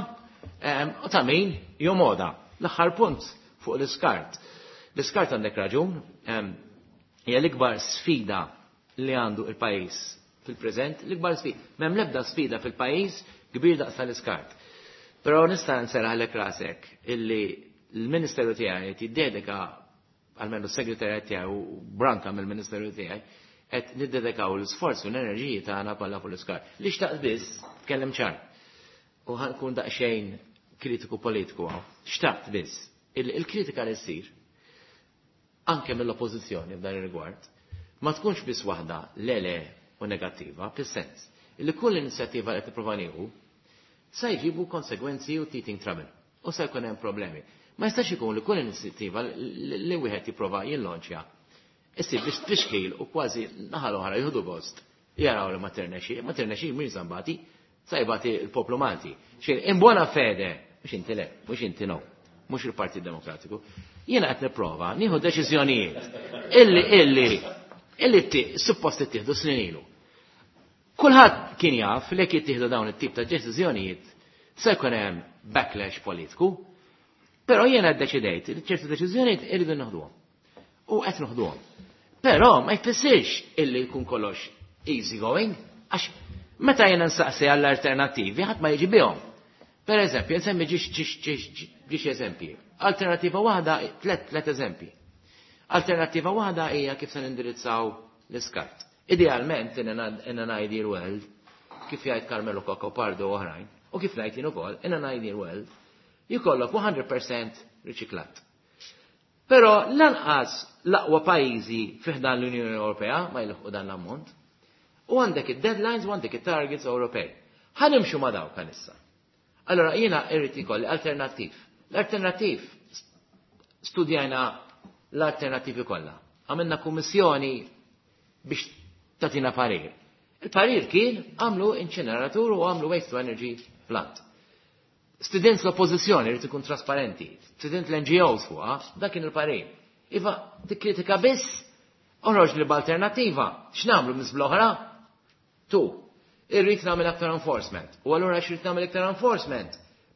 ehm, u ta' min jomoda. L-aħħar punt fuq l-iskart. L-iskart għandek raġun, ehm, hija l-ikbar sfida li għandu il-pajjiż Fil-preżent l-ikbar sfida. M'hemm l-ebda sfida fil-pajjiż kbir daqs tal-iskart. Però nista' nserraħlek rasek illi l-Ministeru tiegħi qed jiddedika, almenu s-segretarjat tiegħi u branka mill-Ministeru tiegħi, qed niddedikaw l-isforzi u l-enerġiji tagħna kollha fuq l-iskart. Li xtaqt biss, tkellem ċar. U ħankun daqsxejn kritiku politiku hawn. Xtaqt biss il-kritika li ssir anke mill-oppożizzjoni f'dan ir-rigward ma tkunx biss waħda lele u negattiva, fis-sens illi kull inizjattiva li tipprova nieħu sa jġibu konsegwenzi u teething trouble u se jkun hemm problemi. Ma jistax ikun li kull inizjattiva li wieħed jipprova jillonċja issib biex tfixkil u kważi naħa l-oħra jieħdu gost jaraw li ma tirnexxi, ma tirnexxi min żambati, sa jbati l-poplu Malti. Xejn in buona fede, mhux inti le, mhux inti no, mhux il-Partit Demokratiku. Jiena qed nipprova nieħu deċiżjonijiet illi illi illi suppost ittieħdu snin ilu. Kulħadd kien jaf li jekk jittieħdu dawn it-tip ta' deċiżjonijiet se jkun hemm backlash politiku, però jiena ddeċidejt li ċertu deċiżjonijiet irridu nieħduhom. U qed noħduhom. Però ma jfissirx illi jkun kollox easy going, għax meta jiena nsaqsi għall-alternattivi ħadd ma jiġi bihom. Per eżempju, nsemmi ġiex ġiex ġiex ġiex eżempji. Alternattiva waħda, tlet tlet eżempji. Alternattiva waħda hija kif se nindirizzaw l-iskart. Idealment, in an ideal world, kif jgħid Carmelo Cacopardo u oħrajn, u kif ngħid jien ukoll, in an ideal world, jkollok mija fil-mija riċiklat. Però lanqas l-aqwa pajjiżi fi ħdan l-Unjoni Ewropea ma jilħqu dan l-ammont. U għandek id-deadlines u għandek it-targets Ewropej. Ħa nimxu ma dawk issa. Allora jiena irrid ikolli alternattiv. L-alternattiv studjajna l-alternattivi kollha. Għamilna kummissjoni biex tatina parir. Il-parir kien għamlu inċineratur u għamlu waste to energy plant. Stedint l-oppozizjoni rrid ikun trasparenti, stedint l-N G Os fuqha, dak kien il-parir. Iva, tikkritika biss, oħroġ li b'alternattiva. X'nagħmlu miżbla oħra? Tu, irrid nagħmel aktar enforcement. U allura x'irrid nagħmel iktar enforcement?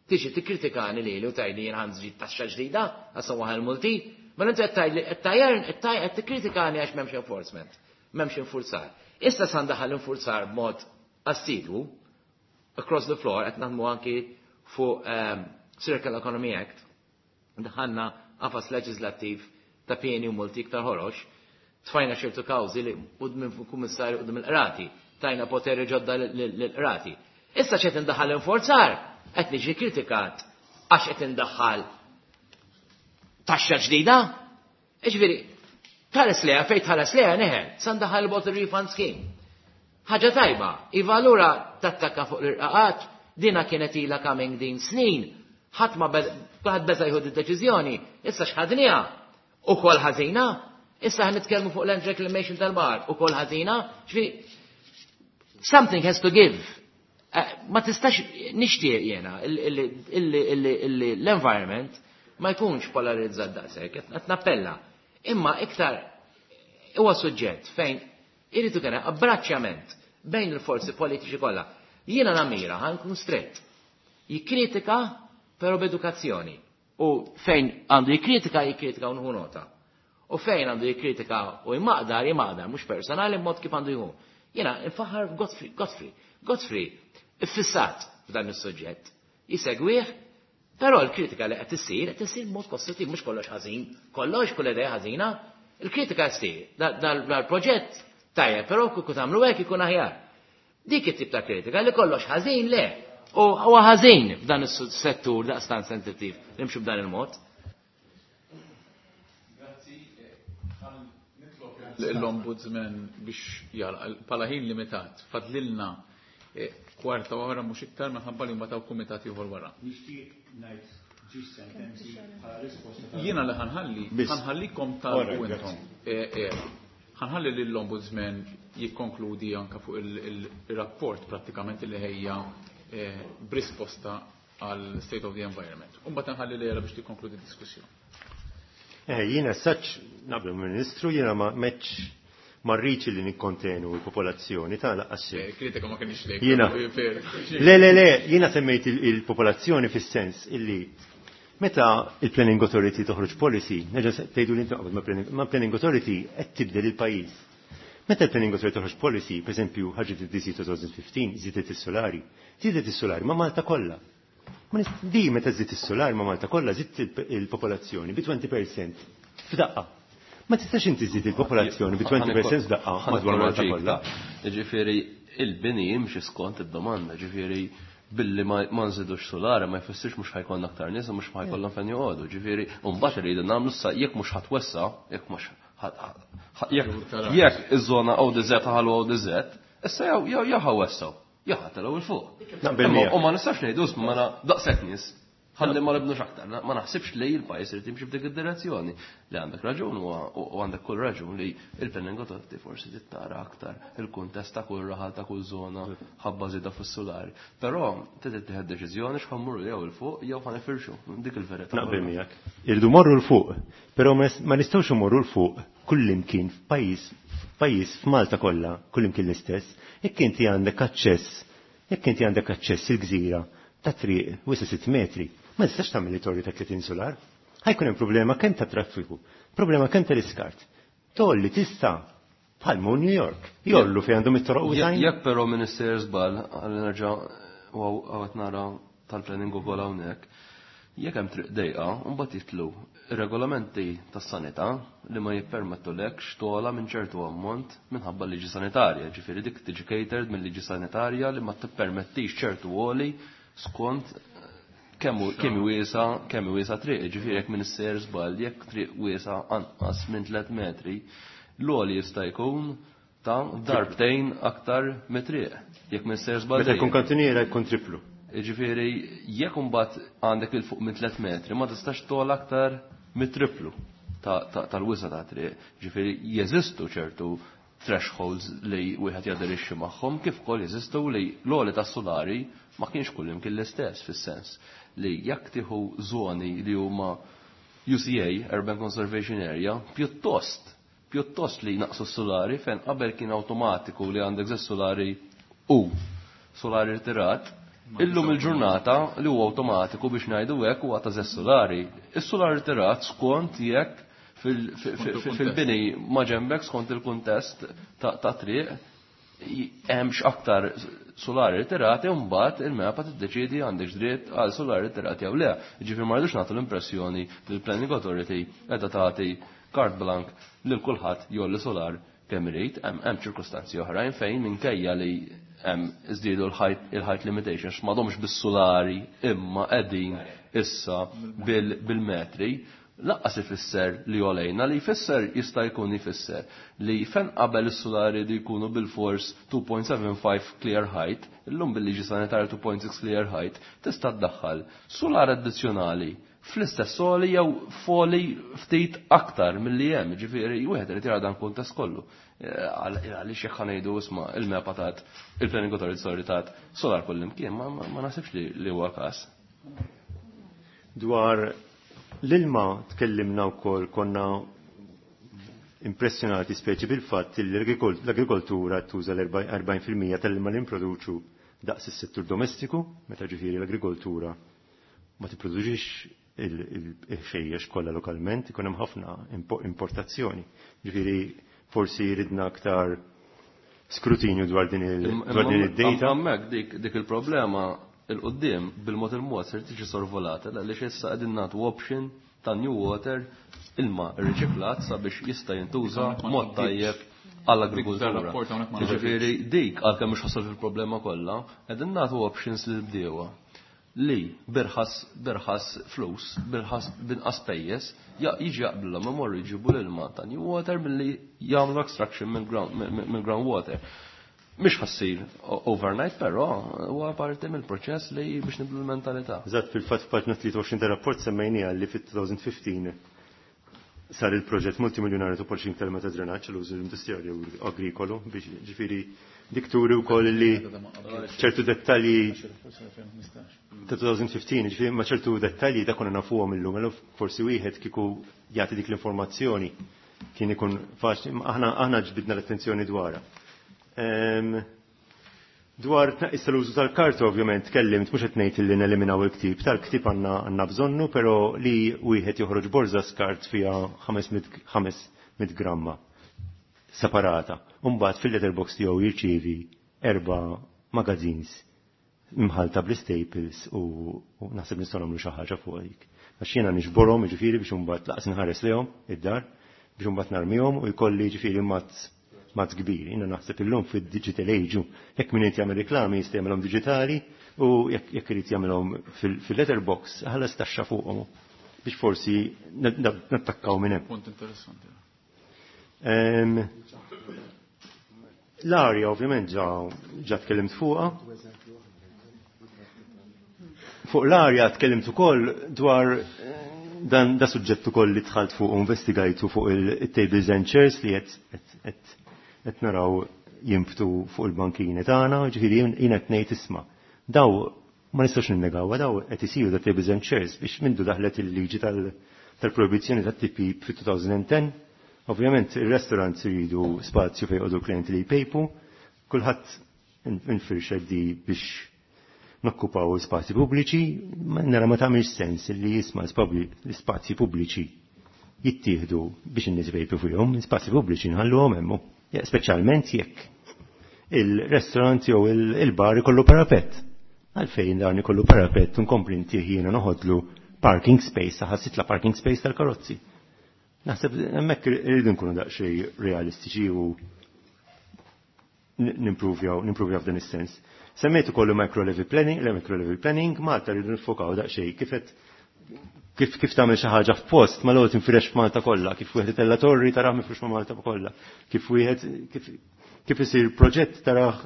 Tiġi tikkritikani li u tgħidli jien ħa nżid taxxa ġdida, għax waħel multi, ma inti qed tgħidli qed tajjern qed tikkritikani għax m'hemmx enforcement, m'hemmx infurzar. Issa sa ndaħal infurzar b'mod assidwu across the floor, qed naħdmu anki fuq um, Circular Economy Act, daħanna qafas leġislattiv ta' pieni u multi iktar ħorox, tfajna ċertu kawżi li quddiem kummissarju, quddiem il-qrati, tajna poteri ġodda l-qrati. Issa qed indaħal infurzar, qed niġi kritikat għax qed indaħħal taxxa ġdida. Iġifieri, tħares leha fejn tħares leha neħel, sa ndaħal bottle refund scheme. Ħaġa tajba, iva allura tattakka fuq l-irqaqat, dina kienet ila coming din snin, ħadd ma ħadd beża jieħu d-deċiżjoni, issa x'ħadniha ukoll ħażina, issa ħa nitkellmu fuq land reclamation tal-bar, ukoll ħażina, ġifieri something has to give. Eh, ma tistax nixtieq jiena l-environment ma jkunx polarizzat daqshekk, qed nappella. Imma iktar huwa suġġett fejn irid ikun abbraċċjament bejn il-forzi politiċi kollha. Jiena namira ħa nkun strett. Jikkritika però b'edukazzjoni. U fejn għandu jikkritika, jikkritika u nota. U fejn għandu jikkritika u jmaqdar, jmaqdar, mhux personali, mod kif għandu jkun. Jiena nfaħar Godfrey, Godfrey, Godfrey, iffissat f'dan is-suġġett. Jisegwih, però l-kritika li qed issir qed issir mod kostruttiv, mhux kollox ħażin, kollox kull idea ħażina. Il-kritika ssir dal-proġett tajjeb, però kieku tagħmlu hekk ikun aħjar. Dik it-tip ta' kritika li kollox ħażin le. U huwa ħażin f'dan is-settur daqstant sensittiv nimxu b'dan il-mod. Grazzi. L-Ombudsman biex jara, pala ħin limitat, fadlilna eh, kwarta oħra mhux iktar minħabba li mbagħad kumitat ieħor wara. Nixtieq ngħid ġiex sentenzi bħala risposta. Jiena li ħa nħalli, ħa nħallikom tal intom. Eh, eh, ħa nħalli lill-Ombudsman jikkonkludi anka fuq il-rapport prattikament li ħejja b'risposta għal State of the Environment. U mbagħad nħalli lilha biex tikkonkludi d-diskussjoni. Eh, jiena saċ naqbel Ministru, jiena ma meċ marriċ li nikkontenu il-popolazzjoni ta' laqqas. Eh, kritika ma kienx lejk. Jiena. Le, le, le, jiena semmejt il-popolazzjoni fis-sens illi meta il-Planning Authority toħroġ policy, nerġa' tgħidu li ma' Planning Authority qed tibdel il-pajjiż. Meta l-Planning Authority toħroġ policy, per esempio, ħarġet id-D C twenty fifteen, żiedet is-solari, żiedet is-solari ma' Malta kollha. Ma di meta żied is-solar ma' Malta kollha, żidt il-popolazzjoni bi twenty percent f'daqqa. Ma tistax inti żid il-popolazzjoni bi twenty percent f'daqqa madwar Malta kollha. Ġifieri il-bini jimxi skont id-domanda, ġifieri billi ma nżidux solari ma jfissirx mhux ħa jkollna aktar nies u mhux ħa jkollhom fejn joqogħdu. Ġifieri mbagħad irridu nagħmlu sa jekk mhux ħa twessa', jekk mhux jekk iż-żona O D Z ħallu O D Z, issa jew jew jew ħa wessgħu, jew ħa telgħu 'il fuq. U ma nistax ngħidu ma daqshekk nies. Ħalli ma nibnux aktar, ma naħsibx li il-pajjiż irid jimxi f'dik id-direzzjoni. Li għandek raġun u għandek kull raġun li il-Planning Authority forsi tittara aktar il-kuntest ta' kull raħal, ta' kull żona ħabba żieda fis-solari. Però trid tieħed deċiżjoni x'ħa mmorru jew 'il fuq jew ħa nifirxu. Dik il-verità. Naqbel miegħek. Irridu morru 'l fuq, però ma nistgħux imorru 'l fuq kullimkien f'pajjiż f'pajjiż f'Malta kollha, kullimkien l-istess. Jekk inti għandek aċċess, jekk inti għandek aċċess il-gżira ta' triq wisa sitt metri, ma tistax tagħmel torri ta' tletin solar. Ħa jkun hemm problema kemm ta' traffiku, problema kemm tal-iskart. Tolli tista' bħal New York. Jollu fejn għandhom it-toroq u Jekk però Minister żball, għal nerġa' u għawet nara tal-planning ukoll hawnhekk, jekk hemm triq dejqa, mbagħad jitlu regolamenti tas-sanità li ma jippermettulekx xtola minn ċertu ammont minħabba liġi sanitarja, ġifieri dik tiġi catered mill liġi sanitarja li ma tippermettix ċertu għoli skont kemm kemm wiesa kemm wiesa triq, ġifieri jekk minn isser żball, jekk triq wiesa anqas minn tliet metri, l-għoli jista' jkun ta' darbtejn aktar mit-triq. Jekk minn isser żball. Meta jkun kantuniera jkun triplu. Ġifieri jekk imbagħad għandek il fuq minn tliet metri, ma tistax togħla aktar mit-triplu tal-wisa ta' triq. Ġifieri jeżistu ċertu thresholds li wieħed jaderixxi magħhom, kif ukoll jeżistu li l-għoli tas-solari ma kienx kull imkien l-istess, fis-sens li jekk tieħu żoni li huma U C A, Urban Conservation Area, pjuttost pjuttost li naqsu s-solari fejn qabel kien automatiku li għandek żewġ solari u solari rtirat, illum il-ġurnata li huwa automatiku biex ngħidu hekk huwa ta' żewġ solari. Is-solari rtirat skont jekk fil-bini ma ġembek, skont il-kuntest ta' triq hemmx aktar solari ritirati, u mbagħad il-MEPA tiddeċiedi għandek dritt għal solari ritirati jew le. Ġifieri ma rridux nagħtu l-impressjoni li l-Planning Authority qiegħda tagħti carte blanche lil kulħadd jolli solar kemm irid. Hemm ċirkustanzi oħrajn fejn minkejja li hemm iżdiedu il-height limitations, m'għadhomx bis-solari imma qegħdin issa bil-metri, lanqas ifisser li għolejna, li jfisser jista' jkun jfisser li fejn qabel is-solari li jkunu bil-fors two point seven five clear height, illum bil-liġi sanitarja two point six clear height, tista' tdaħħal solar addizzjonali fl-istess soli jew foli ftit aktar milli hemm, ġifieri wieħed irid jara dan kuntest kollu. Eh, għaliex jekk ħa ngħidu isma' il-MEPA tat, il-Planning Authority, sorry, tat solar kullimkien, ma naħsibx li huwa każ. Dwar l-ilma tkellimna wkoll, konna impressjonati speċi bil-fatt li l-agrikoltura tuża l-erbgħin fil-mija tal-ilma li nproduċu daqs is-settur domestiku, meta ġifieri l-agrikoltura ma tipproduċix il-ħxejjex kollha lokalment, ikun hemm ħafna importazzjoni. Ġifieri forsi ridna aktar skrutinju dwar din id-data. Hemmhekk dik il-problema il-qoddim bil-mod il-mod ser tiġi sorvolata għaliex issa qegħdin nagħtu option ta' New Water, ilma riċiklat sabiex jista' jintuża mod tajjeb għall-agrikultura. Ġifieri dik għalkemm mhux ħasol fil-problema kollha, qegħdin nagħtu options lil bdiewa li birħas birħas flus, birħas binqas pejjeż, jiġi jaqblilhom imorru jġibu l-ilma ta' New Water milli jagħmlu extraction mill-ground water. Mhix ħa ssir overnight, però huwa parti mill-proċess li biex nibdlu l-mentalità. Eżatt, fil-fatt f'paġna tlieta u għoxrin tar-rapport semmejniha li fit-elfejn u ħmistax sar il-proġett multimiljonarju ta' polishing tal ta' drenaġġ l-użu industrijali u agrikolu, biex ġifieri dik turi wkoll li ċertu dettalji ta' elfejn u ħmistax, ġifieri ma ċertu dettalji da konna nafuhom illum, allura forsi wieħed kieku jagħti dik l-informazzjoni kien ikun faċli, aħna aħna ġbidna l-attenzjoni dwarha. Dwar tnaqqis tal-użu tal-karta, ovvjament, tkellimt, mhux qed ngħid li neliminaw il-ktib, tal-ktib għandna għandna bżonnu, però li wieħed joħroġ borża skart fiha ħames mitt gramma separata. u mbagħad fil-letterbox tiegħu jirċievi erba' magazines imħalta bl-staples u, u naħseb nistgħu nagħmlu xi ħaġa fuq dik. Għax jiena niġborhom jiġifieri biex imbagħad laqas inħares lejhom id-dar biex imbagħad narmihom u jkolli jiġifieri mazz mazz kbir. Jiena naħseb illum fid-digital age jekk min irid jagħmel reklami jista' jagħmelhom diġitali u jekk jekk irid jagħmelhom fil-letterbox ħallas taxxa fuqhom biex forsi nattakkaw minn hemm. Punt interessanti. L-arja ovvjament ġa ġa tkellimt fuqha. Fuq l-arja tkellimt ukoll dwar dan da suġġett ukoll li dħalt fuq u investigajtu fuq il-tables and chairs li qed naraw jinbtu fuq il-bankini tagħna, ġifieri jien qed ngħid isma'. Daw ma nistax ninnegawha, daw qed isiru da tables and chairs biex mindu daħlet il-liġi tal-proibizzjoni tat-tipjip fit-twenty ten. Ovvjament il-restaurants iridu spazju fejn joqogħdu klienti li jpejpu, kulħadd infirxed di biex nokkupaw spazji pubbliċi, ma nara ma tagħmilx sens li jisma' l-spazji pubbliċi jittieħdu biex in-nies jpejpu fihom, spazji pubbliċi nħalluhom hemm. Speċjalment jekk il-restaurant jew il-bar ikollu parapet. Għalfejn dan ikollu parapet nkompli ntih jiena noħodlu parking space, saħansitra parking space tal-karozzi. Naħseb hemmhekk irridu nkunu daqsxejn realistiċi u nimpruvjaw nimpruvjaw f'dan is-sens. Semmejt ukoll micro level planning, le micro level planning, Malta rridu nifokaw daqsxejn kif qed kif kif tagħmel xi ħaġa f'post ma l tinfirex f'Malta kollha, kif wieħed itella torri tarah mifrux ma' Malta kollha, kif wieħed kif kif isir proġett tarah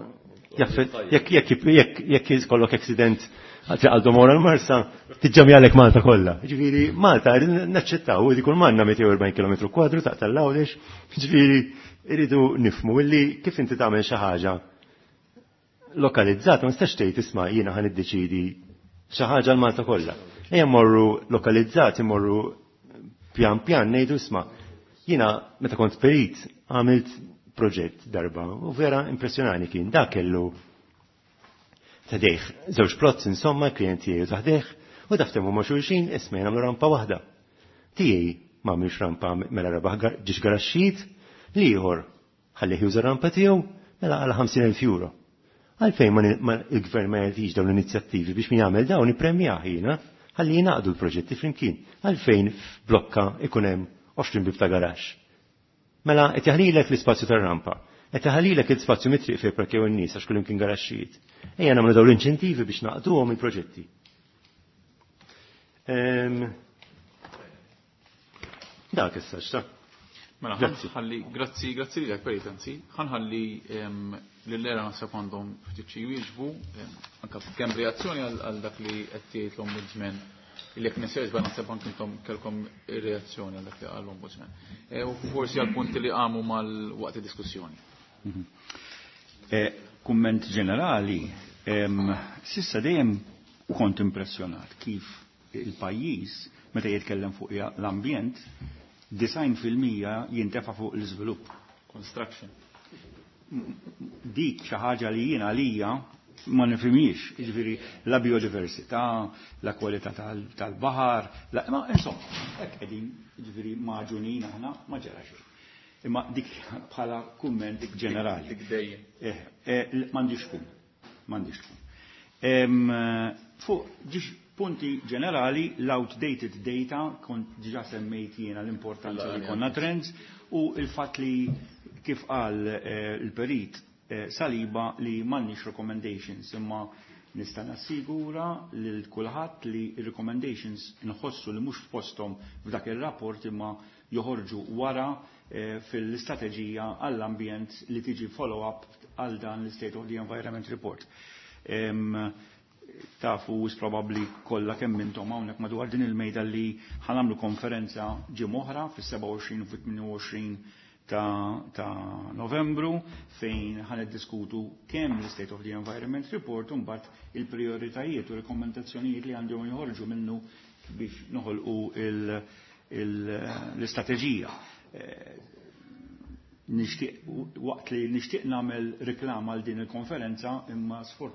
jekk jekk jekk jekk jkollok accident għal Domora l-Marsa, tiġġamjalek Malta kollha. Ġifieri Malta naċċettaw li kull manna mitejn u erbgħin kilometru kwadru ta' tal-Għawdex, ġifieri irridu nifhmu illi kif inti tagħmel xi ħaġa lokalizzata, ma nistax tgħid isma' jiena ħa niddeċidi xi ħaġa l-Malta kollha. Ejja mmorru lokalizzati, mmorru pjan pjan ngħidu isma' jiena meta kont perit għamilt proġett darba u vera impressjonani kien dak kellu tadejh żewġ plots, insomma klienti tiegħu taħdejh u daftemu ma' xulxin, isma' nagħmlu rampa waħda. Tiegħi ma għamilx rampa, mela rebaħ ġiex garaxxijiet, l-ieħor ħallih juża rampa tiegħu, mela għal ħamsin elf euro. Għalfejn ma il-gvern ma jagħtix dawn l-inizjattivi biex min jagħmel dawn ippremjah jiena ħalli jingħaqdu l-proġetti flimkien? Għalfejn f'blokka ikun hemm għoxrin bib ta' garaxx? Mela qed jaħlilek l-ispazju tar-rampa. Qed jaħlilek l-ispazju mit-triq fejn parkew in-nies għax kullimkien garaxxijiet. Ejja nagħmlu dawn l-inċentivi biex naqduhom il-proġetti. Ehm, dak issa xta. Mela, Grazzi. ħalli, grazzi, grazzi lilek perit, anzi, ħanħalli lill-ERA, naħseb għandhom ftit xi jwieġbu, anke kemm reazzjoni għal għal dak li qed tgħid l-Ombudsman, illi jekk nisir naħseb anke intom kellkom reazzjoni għal dak li qal l-Ombudsman. E, u forsi għal punti li qamu mal-waqt id-diskussjoni. Eh, Kumment ġenerali, em, sissa dejjem kont impressjonat kif il-pajjiż meta jitkellem fuq l-ambjent, disgħin fil-mija jintefa' fuq l-iżvilupp. Construction. Dik xi ħaġa li jiena għalija ma nifhimhiex, jiġifieri la biodiversità, la kwalità tal-baħar, la, ma insomma, hekk qegħdin jiġifieri maġunin aħna, ma ġara xejn. Imma dik bħala kumment ġenerali. Dik dejjem. Eh, eh, m'għandix tkun, m'għandix tkun. Em, Fuq ġiex punti ġenerali, l-outdated data, kont diġa semmejt jiena l-importanza li konna trends, u il-fatt li kif qal eh, il-perit eh, Saliba li m'għandniex recommendations, imma nista' nassigura lil kulħadd li recommendations nħossu li mhux f'posthom f'dak ir-rapport imma joħorġu wara eh, fil-istrateġija għall-ambjent li tiġi follow-up għal dan l-State of the Environment Report. Em, tafu wis probabbli kollha kemm intom hawnhekk madwar din il-mejda li ħa nagħmlu konferenza ġimgħa oħra fis-sebgħa u għoxrin u fit-tmienja u għoxrin ta', ta Novembru fejn ħa niddiskutu kemm l-State of the Environment Report u mbagħad il-prioritajiet u rekomendazzjonijiet li għandhom joħorġu minnu biex noħolqu l-istrateġija. Eh, nixtieq waqt li nixtieq nagħmel reklama għal din il-konferenza, imma sfor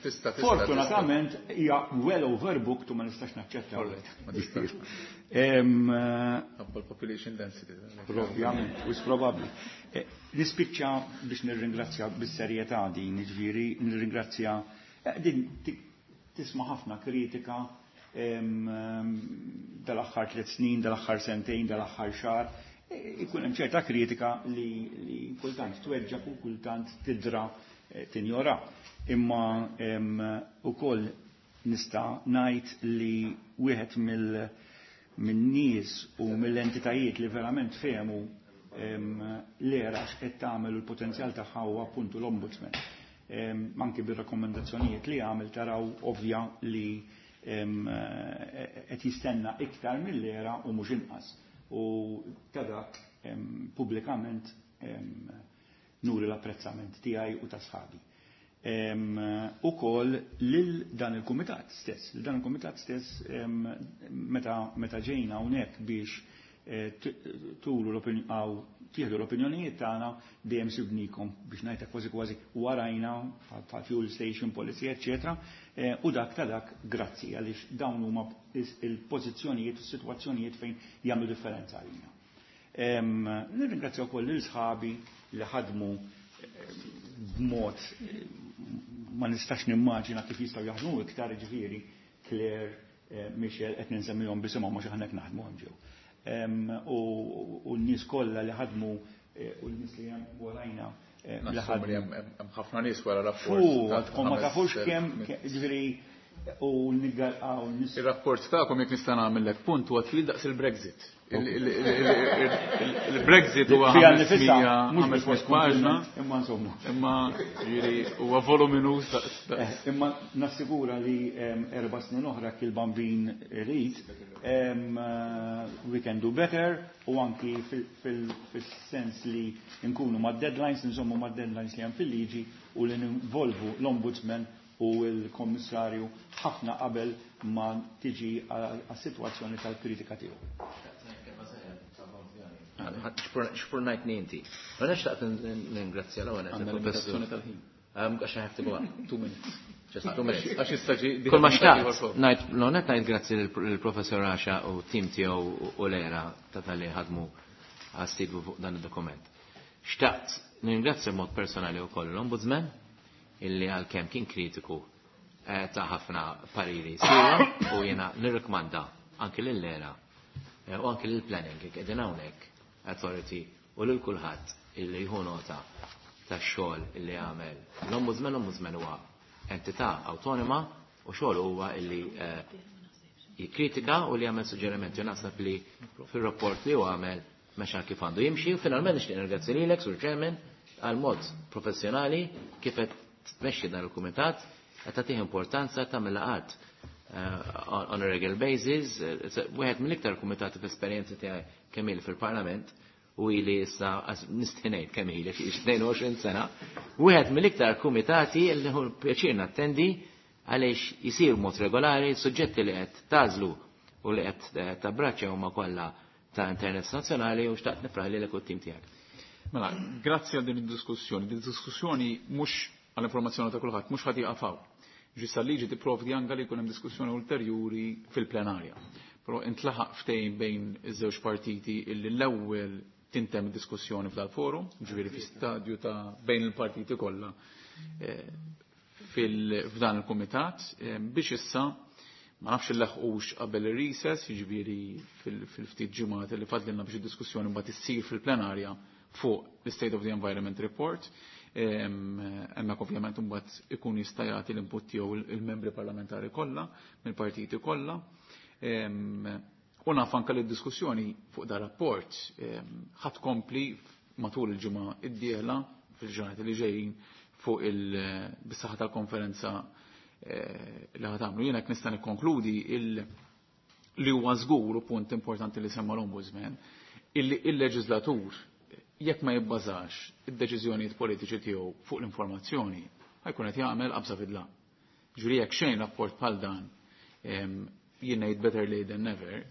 Tista' Fortunatament hija well overbooked u ma nistax naċċetta. Ma tistax. Population density. Ovvjament, wis probabbli. Nispiċċa biex nirringrazzja bis-serjetà din, jiġifieri nirringrazzja din tisma' ħafna kritika dal-aħħar tliet snin, dal-aħħar sentejn, dal-aħħar xahar. Ikun hemm ċerta kritika li kultant tweġġak u kultant tidra tinjora. Imma ukoll nista' ngħid li wieħed mill-nies u mill-entitajiet li verament fehmu l-ERA x'qed tagħmel u l-potenzjal tagħha huwa appuntu l-Ombudsman. Anki bir-rakkomandazzjonijiet li għamel taraw ovvja li qed jistenna iktar mill-ERA u mhux inqas. U ta' dak pubblikament nuri l-apprezzament tiegħi u ta' sħabi. Ukoll lil dan il-kumitat stess, lil dan il-kumitat stess meta ġejna hawnhekk biex turu l-opinjoni tieħdu l-opinjonijiet tagħna dejjem sibnikom biex ngħidha kważi kważi warajna bħal fuel station policy, eċċetera. U dak ta' dak grazzi għaliex dawn huma il-pożizzjonijiet u s-sitwazzjonijiet fejn jagħmlu differenza għalina. Nirringrazzja wkoll lil sħabi li ħadmu b'mod ma nistax nimmaġina kif jistgħu jaħdmu iktar, ġifieri Claire, Michelle, qed ninsemmihom bisimhom mhux aħna hekk naħdmu hemm ġew. U n-nies kollha li ħadmu u n-nies li hemm warajna li ħadmu. Hemm ħafna nies wara rapport. Ma tafux kemm, ġifieri u niggalqaw nies. Ir-rapport tagħkom jekk nista' nagħmellek punt huwa twil daqs il-Brexit. Il-Brexit huwa ħames mitt paġna. Imma insomma. Imma ġifieri huwa voluminuż daqs. Imma nassigura li erba' snin oħra kil bambin irid, we can do better, u anki fil-sens li nkunu ma' deadlines, insomma ma' deadlines li hemm fil-liġi u li ninvolvu l-Ombudsman u l-Kommissarju ħafna qabel ma tiġi għas-sitwazzjoni tal-kritika tiegħu. Xpurnajt inti. Ma nafx taqt ningrazzja l-ewwel il-professur tal-ħin. Għax I have to go out. Two minutes. Just two minutes. Għax issa ġi Kull ma xtaqt, ngħid l-onet ngħid grazzi lill-professor Asha u tim tiegħu u l-ERA ta' tal-li ħadmu għas-sidbu fuq dan id-dokument. Xtaqt ningrazzja mod personali wkoll l-Ombudsman illi għalkemm kien kritiku ta' ħafna pariri sira u jiena nirrikmanda anki lill-ERA u anki lill-planning qegħdin hawnhekk authority u lil kulħadd illi jieħu nota tax-xogħol illi għamel. L-Ombudsman, l-Ombudsman huwa entità awtonoma u xogħol huwa illi jikkritika u li jagħmel suġġerimenti. U naħseb li fir-rapport li huwa għamel mexa kif għandu jimxi u finalment nixtieq nirgrazzi lilek Sur Chairman għal mod professjonali kif qed tmexxi dan il-kumitat qed tagħtih importanza tagħmel laqgħat on a regular basis. Wieħed mill-iktar kumitati fl-esperjenza tiegħi kemm ili fil-Parlament u ili issa nistenejt kemm ili xi tnejn u għoxrin sena, wieħed mill-iktar kumitati li hu pjaċir nattendi għaliex jisir mod regolari, suġġetti li qed tażlu u li qed tabbraċċja huma kollha ta' interess nazzjonali u xtaqt nifraħ lilek u t-tim tiegħek. Mela, grazzi għal din id-diskussjoni. Din id-diskussjoni mhux għall-informazzjoni ta' kulħadd, mhux ħadd jaqafaw. Ġissa liġi tipprovdi anke li jkun hemm diskussjoni ulterjuri fil-plenarja. Però intlaħaq ftehim bejn iż-żewġ partiti illi l-ewwel tintem diskussjoni f'dal-forum, ġifieri fi stadju ta' bejn il-partiti kollha f'dan il-kumitat, biex issa ma nafx il-laħqux qabel ir-recess, jiġifieri fil-ftit ġimgħat li fadlilna biex id-diskussjoni mbagħad issir fil-plenarja fuq l-State of the Environment Report. Hemmhekk ovvjament imbagħad ikun jista' jagħti l-input tiegħu il-membri parlamentari kollha, mill-partiti kollha. U naf anke li d-diskussjoni fuq dar rapport ħadd kompli matul il-ġimgħa d-dieħla fil-ġranet li ġejjin fuq il-bis-saħħa tal-konferenza li ħad tagħmlu. Jiena jekk nista' nikkonkludi li huwa żgur u punt importanti li semma l-Ombudsman illi il-leġislatur jekk ma jibbażax id-deċiżjonijiet politiċi tiegħu fuq l-informazzjoni, ħajkun qed jagħmel qabża fidla. Ġifieri jekk xejn rapport bħal dan jien ngħid better late than never,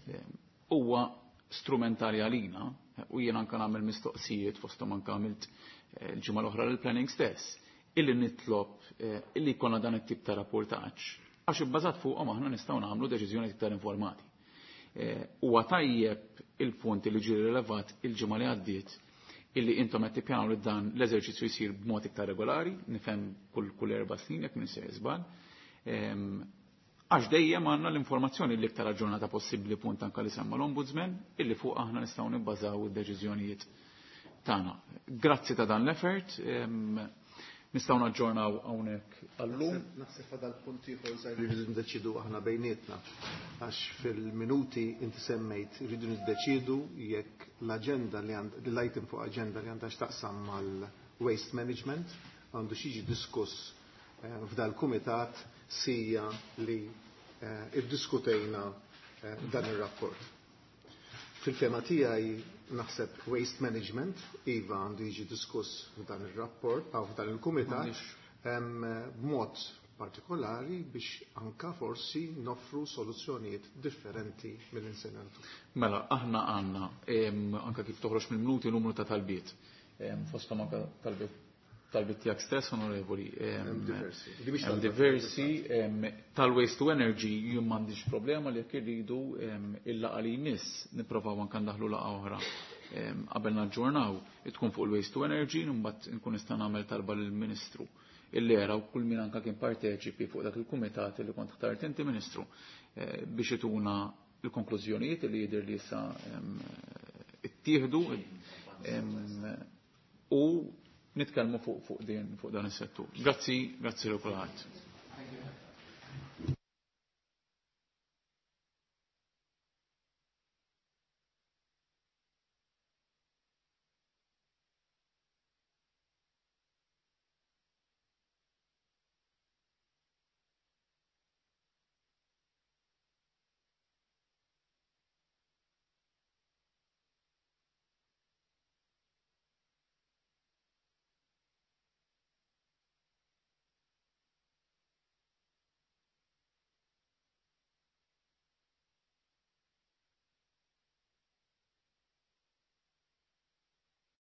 huwa strumentali għalina u jien anke nagħmel mistoqsijiet fosthom anke għamilt l-ġimgħa l-oħra lill-planning stess, illi nitlob eh, illi jkollna dan it-tip ta' rapportaġġ għax ibbażat fuqhom aħna nistgħu nagħmlu deċiżjoni iktar informati. Eh, huwa tajjeb il-punt li ġie rilevat il-ġimgħa li għaddiet illi intom qed tippjanaw li dan l-eżerċizzju jsir b'mod iktar regolari, nifhem kull kull erba' snin jekk min se żball. Għax dejjem għandna l-informazzjoni l-iktar aġġornata possibbli, punt anka li semma l-Ombudsman, illi fuq aħna nistgħu nibbażaw id-deċiżjonijiet tagħna. Grazzi ta' dan l-effort, nistgħu naġġornaw hawnhekk għallum. Naħseb fadal punt ieħor żgħir li rridu ndeċidu aħna bejnietna, għax fil-minuti inti semmejt rridu niddeċidu jekk l-aġenda li għand l-item fuq aġenda li għandha x'taqsam mal-waste management għandu jiġi diskuss eh, f'dal kumitat sija li eh, iddiskutejna eh, dan ir-rapport. Fil-fema tiegħi naħseb waste management iva għandu jiġi diskuss f'dan ir-rapport aw f'dan il-kumitat b'mod partikolari biex anka forsi noffru soluzzjonijiet differenti mill-insenatu. Mela, aħna għandna anka kif toħroġ mill-minuti numru ta' talbiet. Fosthom anka talbiet talbiet tiegħek stess, onorevoli. Hemm diversi. Hemm diversi tal-waste to energy jien m'għandix problema li jekk irridu il-laqgħa li jmiss nipprovaw anke ndaħlu laqgħa oħra qabel naġġornaw tkun fuq il-waste to energy, mbagħad nkun nista' nagħmel talba lill-Ministru illi era u kull min anka kien parteċipi fuq dak il-kumitat li kont ħtart inti Ministru eh, biex ituna l-konklużjonijiet li jidher li issa ittieħdu u nitkellmu fuq fuq din fuq dan is-settur. Grazzi, grazzi lil kulħadd.